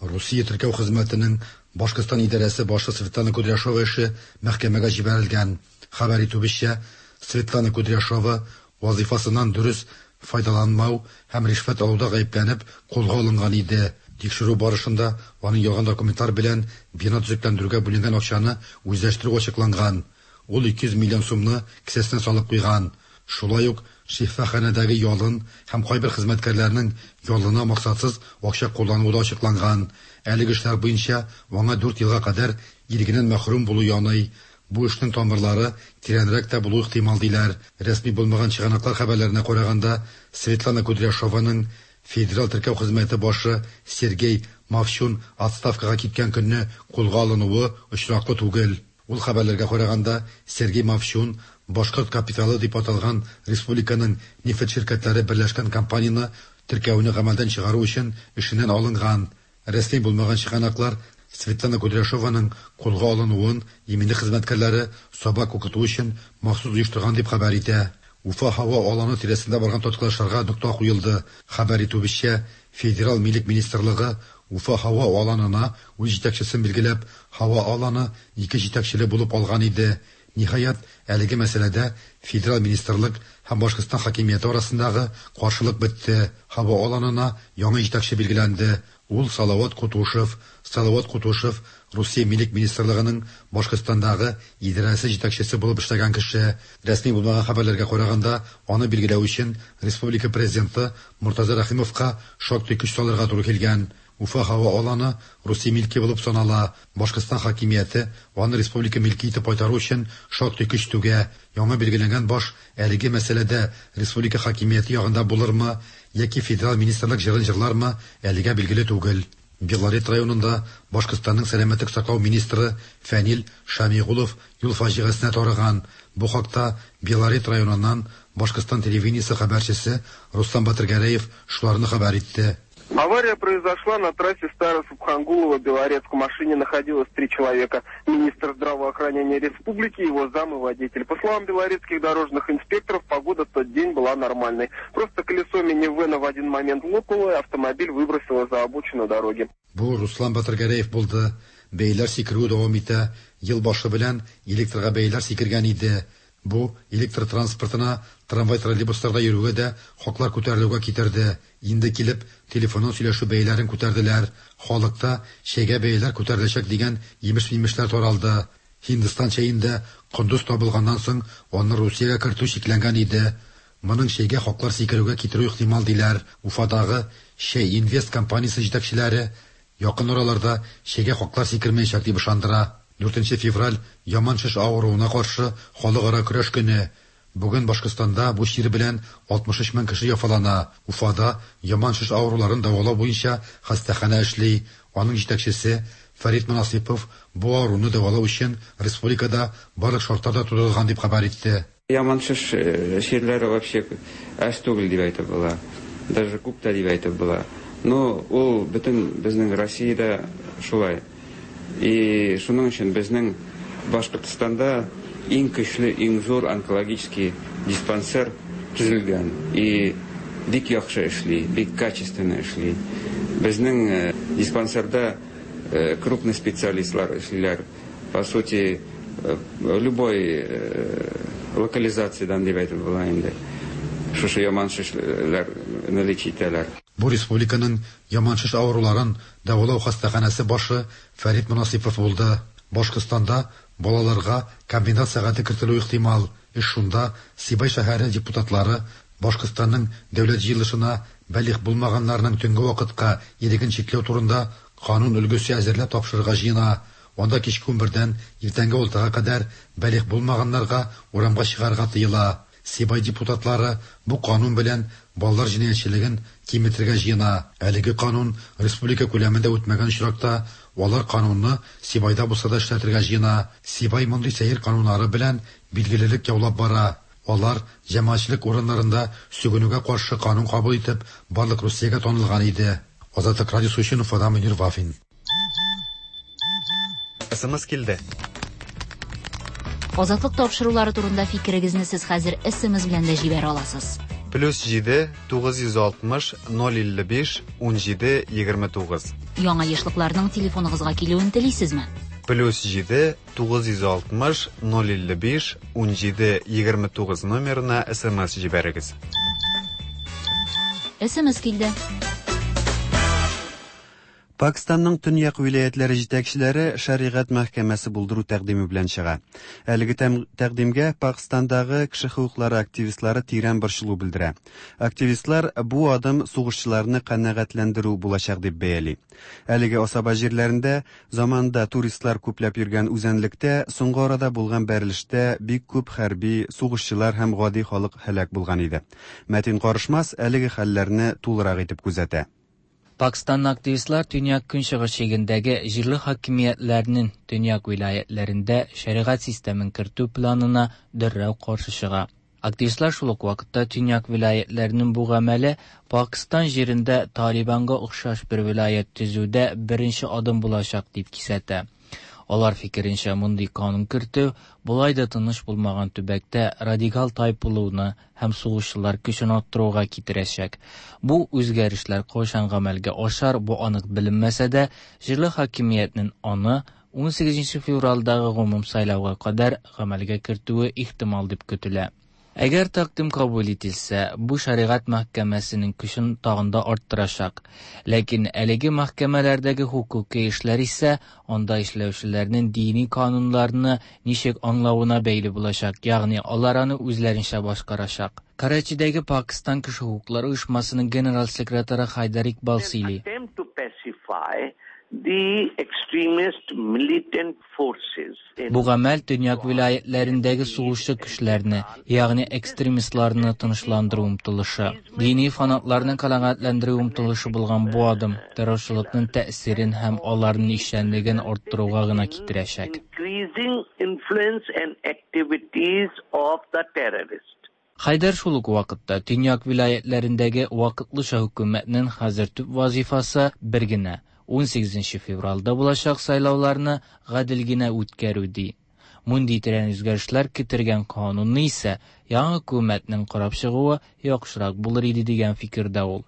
Русия теркәү хезмәтенең Башкортстан идарәсе башы Светлана Кудряшова эше мәхкәмәгә җибәрелгән. Хәбәр итүебезчә, Светлана Кудряшова вазифасыннан дөрес файдаланмау һәм ришвәт алуда гаепләнеп кулга алынган иде. Тикшерү барышында аның ялган документлар белән бина төзекләндерүгә бүленгән акчаны үзләштерү ачыкланган. Ул ике йөз миллион сумны кесәсенә салып куйган. Шулай ук шифаханәдәге ялын һәм кайбер хезмәткәрләрнең ялына максатсыз акча куллануы да ачыкланган. Әлеге эшләр буенча аңа дүрт елга кадәр ирегеннән мәхрүм булу яный. Бу эшнең тамырлары тирәнрәк тә булу ихтимал диләр. Рәсми булмаган чыганаклар хәбәрләренә караганда, Светлана Кудряшованың Федерал теркәү хезмәте башы Сергей Мавчун отставкага киткән көнне кулга алынуы очраклы түгел. Ул хәбәрләргә караганда, Сергей Мавчун Башкорт капиталы дип аталган республиканың нефть ширкәтләре берләшкән компанияне теркәүне гамәлдән чыгару өчен эшеннән алынган. Рәсми булмаган чыганаклар Светлана Кудряшованың кулга алынуын иминлек хезмәткәрләре сабак укыту өчен махсус оештырган дип хәбәр итә. Уфа һава аланы тирәсендә барган тоткарлашларга нокта куелды. Хәбәр итүебезчә, Федерал милек министрлыгы Уфа һава аланына үз җитәкчесен билгеләп, һава аланы ике җитәкчеле булып алган иде. Ниһаять, әлеге мәсьәләдә Федерал министрлык һәм Башкортстан хакимияте арасындагы каршылык бетте. Һава аланына яңа җитәкче билгеләнде. Ул Салават Кутушев. Салават Кутушев Русия милек министрлыгының Башкортстандагы идарәсе җитәкчесе булып эшләгән кеше. Рәсми булмаган хәбәрләргә караганда, аны билгеләү өчен республика президенты Муртаза Рәхимовка шактый көч салырга туры килгән. Уфа һава аланы Русия милке булып санала. Башкортстан хакимияте аны республика милке итеп кайтару өчен шактый көч түгә. Яңа билгеләнгән баш әлеге мәсьәләдә республика хакимияте ягында булырмы яки федерал министрлык җырын җырлармы, әлегә билгеле түгел. Белорет районында Башкортстанның сәламәтлек саклау министры Фәнил Шамигулов юл фаҗигасенә тарыган. Бу хакта Белорет районыннан Башкортстан телевидениесе хәбәрчесе Руслан Батыргәрәев шуларны хәбәр итте. Авария произошла на трассе Старо-Субхангулово-Белорецк. В машине находилось три человека. Министр здравоохранения республики, его зам и водитель. По словам белорецких дорожных инспекторов, погода в тот день была нормальной. Просто колесо минивэна в один момент лопнуло, и автомобиль выбросило за обочину дороги. Бу Руслан Батыргәрәев булды. Бәйләр сикерү дәвам итә. Ел башы белән электрга бәйләр сикергән иде. Бу электр транспортына, трамвай троллейбусларда йөрүгә дә хаклар күтәрелүгә китерде. Инде килеп телефоннан сөйләшү бәяләрен күтәрделәр. Халыкта чәйгә бәяләр күтәреләчәк дигән имеш-мимешләр таралды. Һиндстан чәендә кондыз табылганнан соң аны Русиягә кертү чикләнгән иде. Моның чәйгә хаклар сикерүгә китерү ихтимал диләр. Уфадагы Чәй Инвест компаниясе җитәкчеләре якын араларда чәйгә хаклар сикермәячәк дип ышандыра. Дүртенче февраль яман шеш авыруына каршы халыкара көрәш көне. Бүген Башкортстанда бу чир белән алтмыш өч мең кеше яфалана. Уфада яман шеш авыруларын дәвалау буенча хастаханә эшли. Аның җитәкчесе Фәрит Монасыйпов бу авыруны дәвалау өчен республикада барлык шартлар да тудырылган дип хәбәр итте. Яман шеш чирләре вообще әз түгел дип әйтеп була. Даже күп тә дип әйтеп була. Но ул бөтен безнең Россиядә шулай. И шуның өчен безнең Башкортстанда иң көчле, иң зур онкологический диспансер төзелгән. И бик яхшы эшли, бик качественно эшли. Безнең диспансерда крупный специалистлар эшлиләр. По сути, любой локализациядан дип әйтеп була инде. Шушы яман шешләрне лечить итәләр. Бу республиканың яман шеш авыруларын дәвалау хастаханәсе башы Фәрит Монасыйпов булды. Башкортстанда балаларга комбинат сәгате кертелү ихтимал. Эш шунда Сибай шәһәре депутатлары Башкортстанның дәүләт җыелышына балигъ булмаганнарның төнге вакытка иреген чикләү турында канун өлгесе әзерләп тапшырырга җыена. Анда кичке унбердән иртәнге алтыга кадәр балигъ булмаганнарга урамга чыгарга тыела. Сибай депутатлары бу канун белән балалар җинаятьчелеген киметергә җыена. Әлеге канун республика күләмендә үтмәгән очракта алар канунны Сибайда булса да эшләтергә җыена. Сибай мондый сәер кануннары белән билгелелек яулап бара. Алар җәмәгатьчелек урыннарында сүгенүгә каршы канун кабул итеп, барлык Русиягә танылган иде. Азатлык радиосы өчен Уфадан Мөнир Вафин. СМС килде. Азатлык тапшырулары турында фикерегезне сез хәзер СМС белән дә җибәрә аласыз. Плюс җиде тугыз йөз алтмыш ноль илле биш ун җиде егерме тугыз. Яңа ешлыкларның телефоныгызга килүен телисезме? Плюс җиде тугыз йөз алтмыш ноль илле биш ун җиде егерме тугыз номерына СМС җибәрегез. СМС килде. Пакистанның төньяк вилаятлары җитәкчеләре шәригать мәхкәмәсе булдыру тәкъдиме белән чыга. Әлеге тәкъдимгә Пакистандагы кеше хокуклары активистлары тирән борчылу белдерә. Активистлар бу адым сугышчыларны канәгатьләндерү булачак дип бәяли. Әлеге асаба җирләрендә заманда туристлар күпләп йөргән үзәнлектә соңгы арада булган бәрелештә бик күп хәрби, сугышчылар һәм гади халык һәлак булган иде. Мәтин Карышмас әлеге хәлләрне тулырак итеп күзәтә. Пакистанлы активистлар төньяк көнчыгыш чигендәге җирле хакимиятләрнең төньяк вилаятләрендә шәригать системын кертү планына дәррәү каршы чыга. Активистлар шул ук вакытта төньяк вилаятләрнең бу гамәле Пакистан җирендә Талибанга охшаш бер вилаят төзүдә беренче адым булачак дип кисәтә. Алар фикеренчә, мондый канун кертү болай да тыныч булмаган төбәктә радикал тайпылуны һәм сугышчылар көчен арттыруга китерәчәк. Бу үзгәрешләр кайчан гамәлгә ашар, бу анык беленмәсә дә, җирле хакимиятнең аны ун сигезенче февральдагы гомум сайлауга кадәр гамәлгә кертүе ихтимал дип көтелә. Әгәр тәкъдим кабул ителсә, бу шәригать мәхкәмәсенең көчен тагын да арттырачак. Ләкин әлеге мәхкәмәләрдәге хокукый эшләр исә анда эшләүчеләрнең дини кануннарны ничек аңлавына бәйле булачак, ягъни алар аны үзләренчә башкарачак. Карачидәге Пакистан кеше хокуклары оешмасының генераль секретаре Хайдар Икбал сөйли. The extremist militant forces. Бу гамәл төньяк вилаятләрендәге сугышчы көчләрне, ягъни экстремистларны тынычландыру омтылышы, дини фанатларны канәгатьләндерү омтылышы булган бу адым террорчылыкның тәэсирен һәм аларның эшчәнлеген арттыруга гына китерәчәк. Increasing influence and activities of the terrorists. Хайдар шул ук вакытта төньяк вилаятләрендәге вакытлыча хөкүмәтнең хәзер төп вазифасы бер генә ун сигезенче февральдә булачак сайлауларны гадел генә үткәрү ди. Мондый тирән үзгәрешләр китергән канунны исә яңа хөкүмәтнең карап чыгуы яхшырак булыр иде дигән фикердә ул.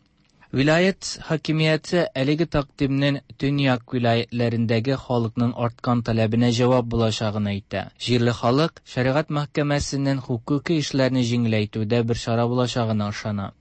Вилаят хакимияте әлеге тәкъдимнең төньяк вилаятләрендәге халыкның арткан таләбенә җавап булачагын әйтә. Җирле халык шәригать мәхкәмәсенең хокукый эшләрне җиңеләйтүдә бер чара булачагына ышана.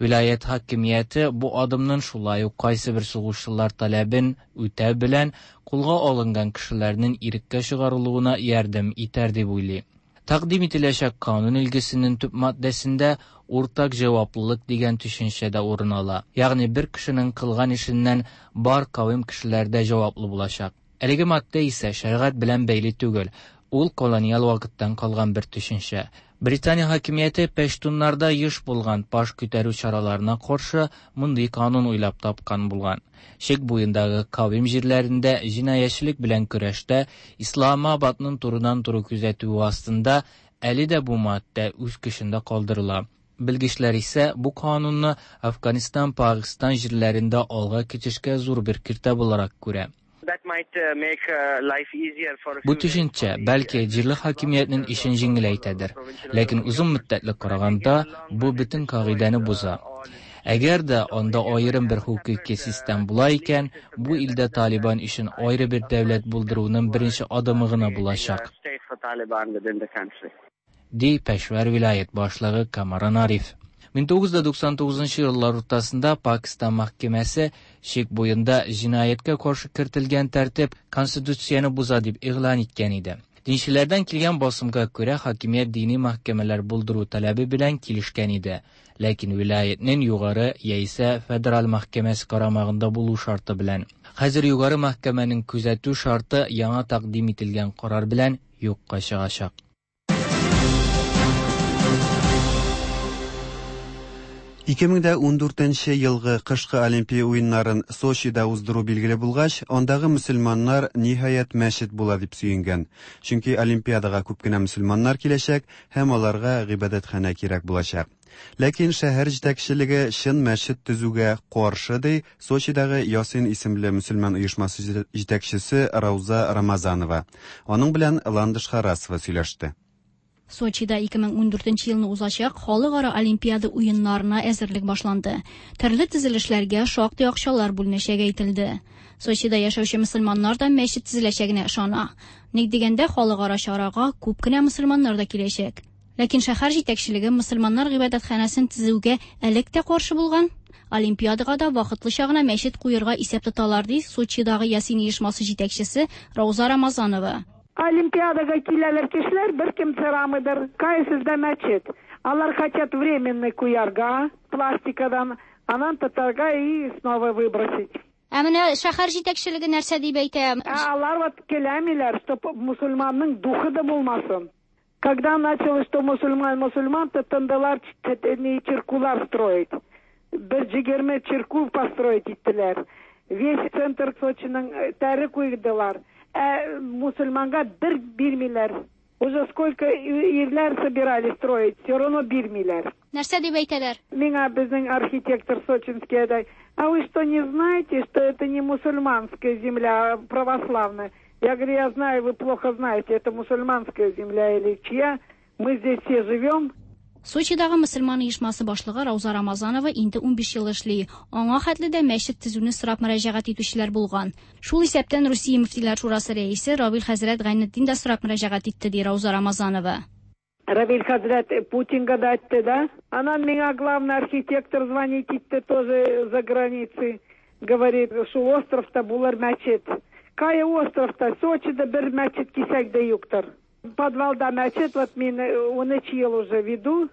Вилаят хакимияте бу адымның шулай ук кайсы бер сугышчылар таләбен үтәү белән кулга алынган кешеләрнең иреккә чыгарылуына ярдәм итәр дип уйлый. Тәкъдим ителәчәк канун өлгесенең төп маддәсендә уртак җаваплылык дигән төшенчә дә урын ала. Ягъни бер кешенең кылган эшеннән бар кавем кешеләр дә җаваплы булачак. Әлеге маддә исә шәригать белән бәйле түгел. Ул колониаль вакыттан калган бер төшенчә. Британия хакимияте пәштуннарда еш булган баш күтәрү чараларына каршы мондый канун уйлап тапкан булган. Чик буендагы кавем җирләрендә җинаятьчелек белән көрәштә Исламабадның турыдан-туры күзәтүе астында әле дә бу маддә үз көчендә калдырыла. Белгечләр исә бу канунны Афганистан, Пакистан җирләрендә алга китешкә зур бер киртә буларак күрә. Бу төшенчә бәлки җирле хакимиятнең эшен җиңеләйтәдер, ләкин озын мөддәтле караганда бу бөтен кагыйдәне боза. Әгәр дә анда аерым бер хокуки систем була икән, бу илдә Талибан өчен аеры бер дәүләт булдыруның беренче адымы гына булачак. Ди Пешвар вилаят башлыгы Камаран Ариф. мең тугыз йөз туксан тугызынчы еллар уртасында Пакистан мәхкәмәсе чик буенда җинаятькә каршы кертелгән тәртип конституцияне боза дип игълан иткән иде. Динчеләрдән килгән басымга күрә хакимият дини мәхкәмәләр булдыру таләбе белән килешкән иде. Ләкин вилаятның югары яисә федераль мәхкәмәсе карамагында булу шарты белән. Хәзер югары мәхкәмәнең күзәтү шарты яңа тәкъдим ителгән карар белән юкка чыгачак. ике мең дә ундүртенче елгы кышкы Олимпия уеннарын Сочида уздыру билгеле булгач, андагы мөселманнар ниһаять мәчет була дип сөенгән. Чөнки Олимпиадага күп кенә мөселманнар киләчәк һәм аларга гыйбадәтханә кирәк булачак. Ләкин шәһәр җитәкчелеге чын мәчет төзүгә каршы, ди Сочидагы Ясин исемле мөселман оешмасы җитәкчесе Рауза Рамазанова. Аның белән Ландыш Харасова сөйләште. Сочида ике мең ундүртенче елны узачак халыкара Олимпиада уеннарына әзерлек башланды. Төрле төзелешләргә шактый акчалар бүленәчәге әйтелде. Сочида яшәүче мөселманнар да мәчет төзеләчәгенә ышана. Ник дигәндә, халыкара чарага күп кенә мөселманнар да киләчәк. Ләкин шәһәр җитәкчелеге мөселманнар гыйбадәтханәсен төзүгә элек тә каршы булган. Олимпиадага да вакытлыча гына мәчет куерга исәп тоталар, ди Сочидагы Ясин оешмасы җитәкчесе Рауза Рамазанова. Олимпиадага киләләр кешеләр, бер кем сорамыйдыр, кая сездә мәчет? Алар хотят временный куярга, пластикадан, анан татарга и снова выбросить. Ә менә шәһәр җитәкчелеге нәрсә дип әйтә? Ә алар вот келәмиләр, чтоб мусульманның духы да булмасын. Когда началось, что мусульман, мусульман, то тындылар чиркулар строить. Бер егерме чиркул построить иттеләр. Весь центр Сочиның тәре куйдылар. Ә мусульманга бер бирмиләр. Уже сколько ирләр собирались строить, все равно бирмиләр. Нәрсә дип әйтәләр? Миңа безнең архитектор сочинский әйтә, а вы что, не знаете, что это не мусульманская земля, а православная? Я говорю, я знаю, вы плохо знаете, это мусульманская земля или чья? Мы здесь все живем. Сочидагы мөселман оешмасы башлыгы Рауза Рамазанова инде унбиш ел эшли. Аңа хәтле дә мәчет төзүне сорап мөрәҗәгать итүчеләр булган. Шул исәптән Русия мөфтиләр шурасы рәисе Равил хәзрәт Гайнетдин дә сорап мөрәҗәгать итте, ди Рауза Рамазанова. Равил хәзрәт Путинга да әйтте, да? Анан миңа главный архитектор звонит итте тоже за границей. Говорит, шул островта булыр мәчет. Кая островта? Сочида бер мәчет кисәк дә юктыр. Подвалда мәчет, вот мин унөч ел уже веду,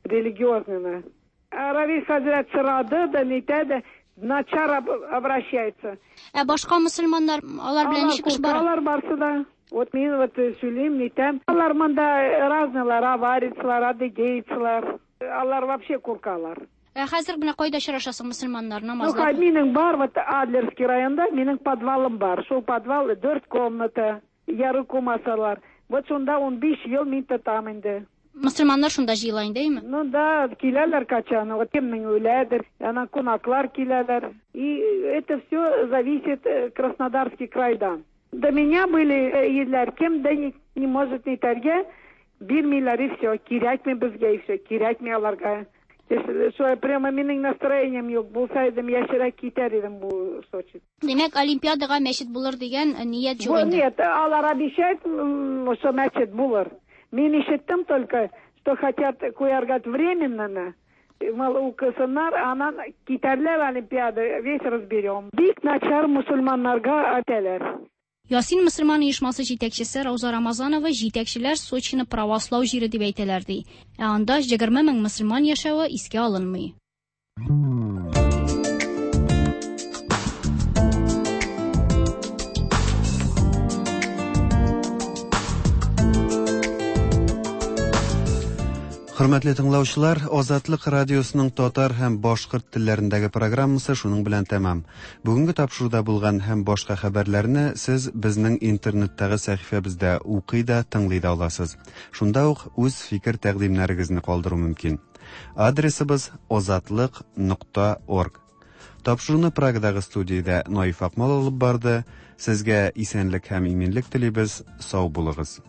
религиозный. Равиль хәзрәт сорады да, нитә дә, начар обращается. Ә башка мөселманнар, алар белән ничек эш бара? Алар барсы да. Вот мин вот сөйлим, нитәм. Алар монда разныйлар, аварицлар, адыгейцлар. Алар вообще куркалар. Ә хәзер менә кайда очрашасың мөселманнар намазда? Ну, минем бар, вот Адлерский районда минем подвалым бар. Шул подвал дүрт комната, яры кумасалар. Вот шунда унбиш ел мин тотам инде. Мөселманнар шунда җыела инде, әйме? Ну да, киләләр качан, вот кемнең үләдер, анан кунаклар киләләр. И это все зависит Краснодарский крайдан. До меня были ирләр, кем дә не, не может нитәргә, бирмиләр и все, кирәкме безгә и все, кирәкме аларга. Шулай прямо минем настроением юк, булса идем, яшерәк китәр идем бу Сочи. Димәк, Олимпиадага мәчет булыр дигән ният юк инде. Нет, алар обещают, что мәчет булыр. Мин ишеттем только, что хотят куяргать временно, мал укысыннар, анан китәрләр Олимпиада, весь разберем. Бик начар мусульманнарга әйтәләр. Ясин мөселман оешмасы җитәкчесе Рауза Рамазанова җитәкчеләр Сочины правослау җире дип әйтәләр ди. Ә анда егерме мең мөселман яшәве искә алынмый. Хөрмәтле тыңлаучылар, Азатлык радиосының татар һәм башкорт телләрендәге программасы шуның белән тәмам. Бүгенге тапшыруда булган һәм башка хәбәрләрне сез безнең интернеттагы сәхифәбездә укый да, тыңлый да аласыз. Шунда ук үз фикер-тәкъдимнәрегезне калдыру мөмкин. Адресыбыз озатлык нокта орг. Тапшыруны Прагадагы студиядә Наиф Акмал алып барды. Сезгә исәнлек һәм иминлек телибез. Сау булыгыз.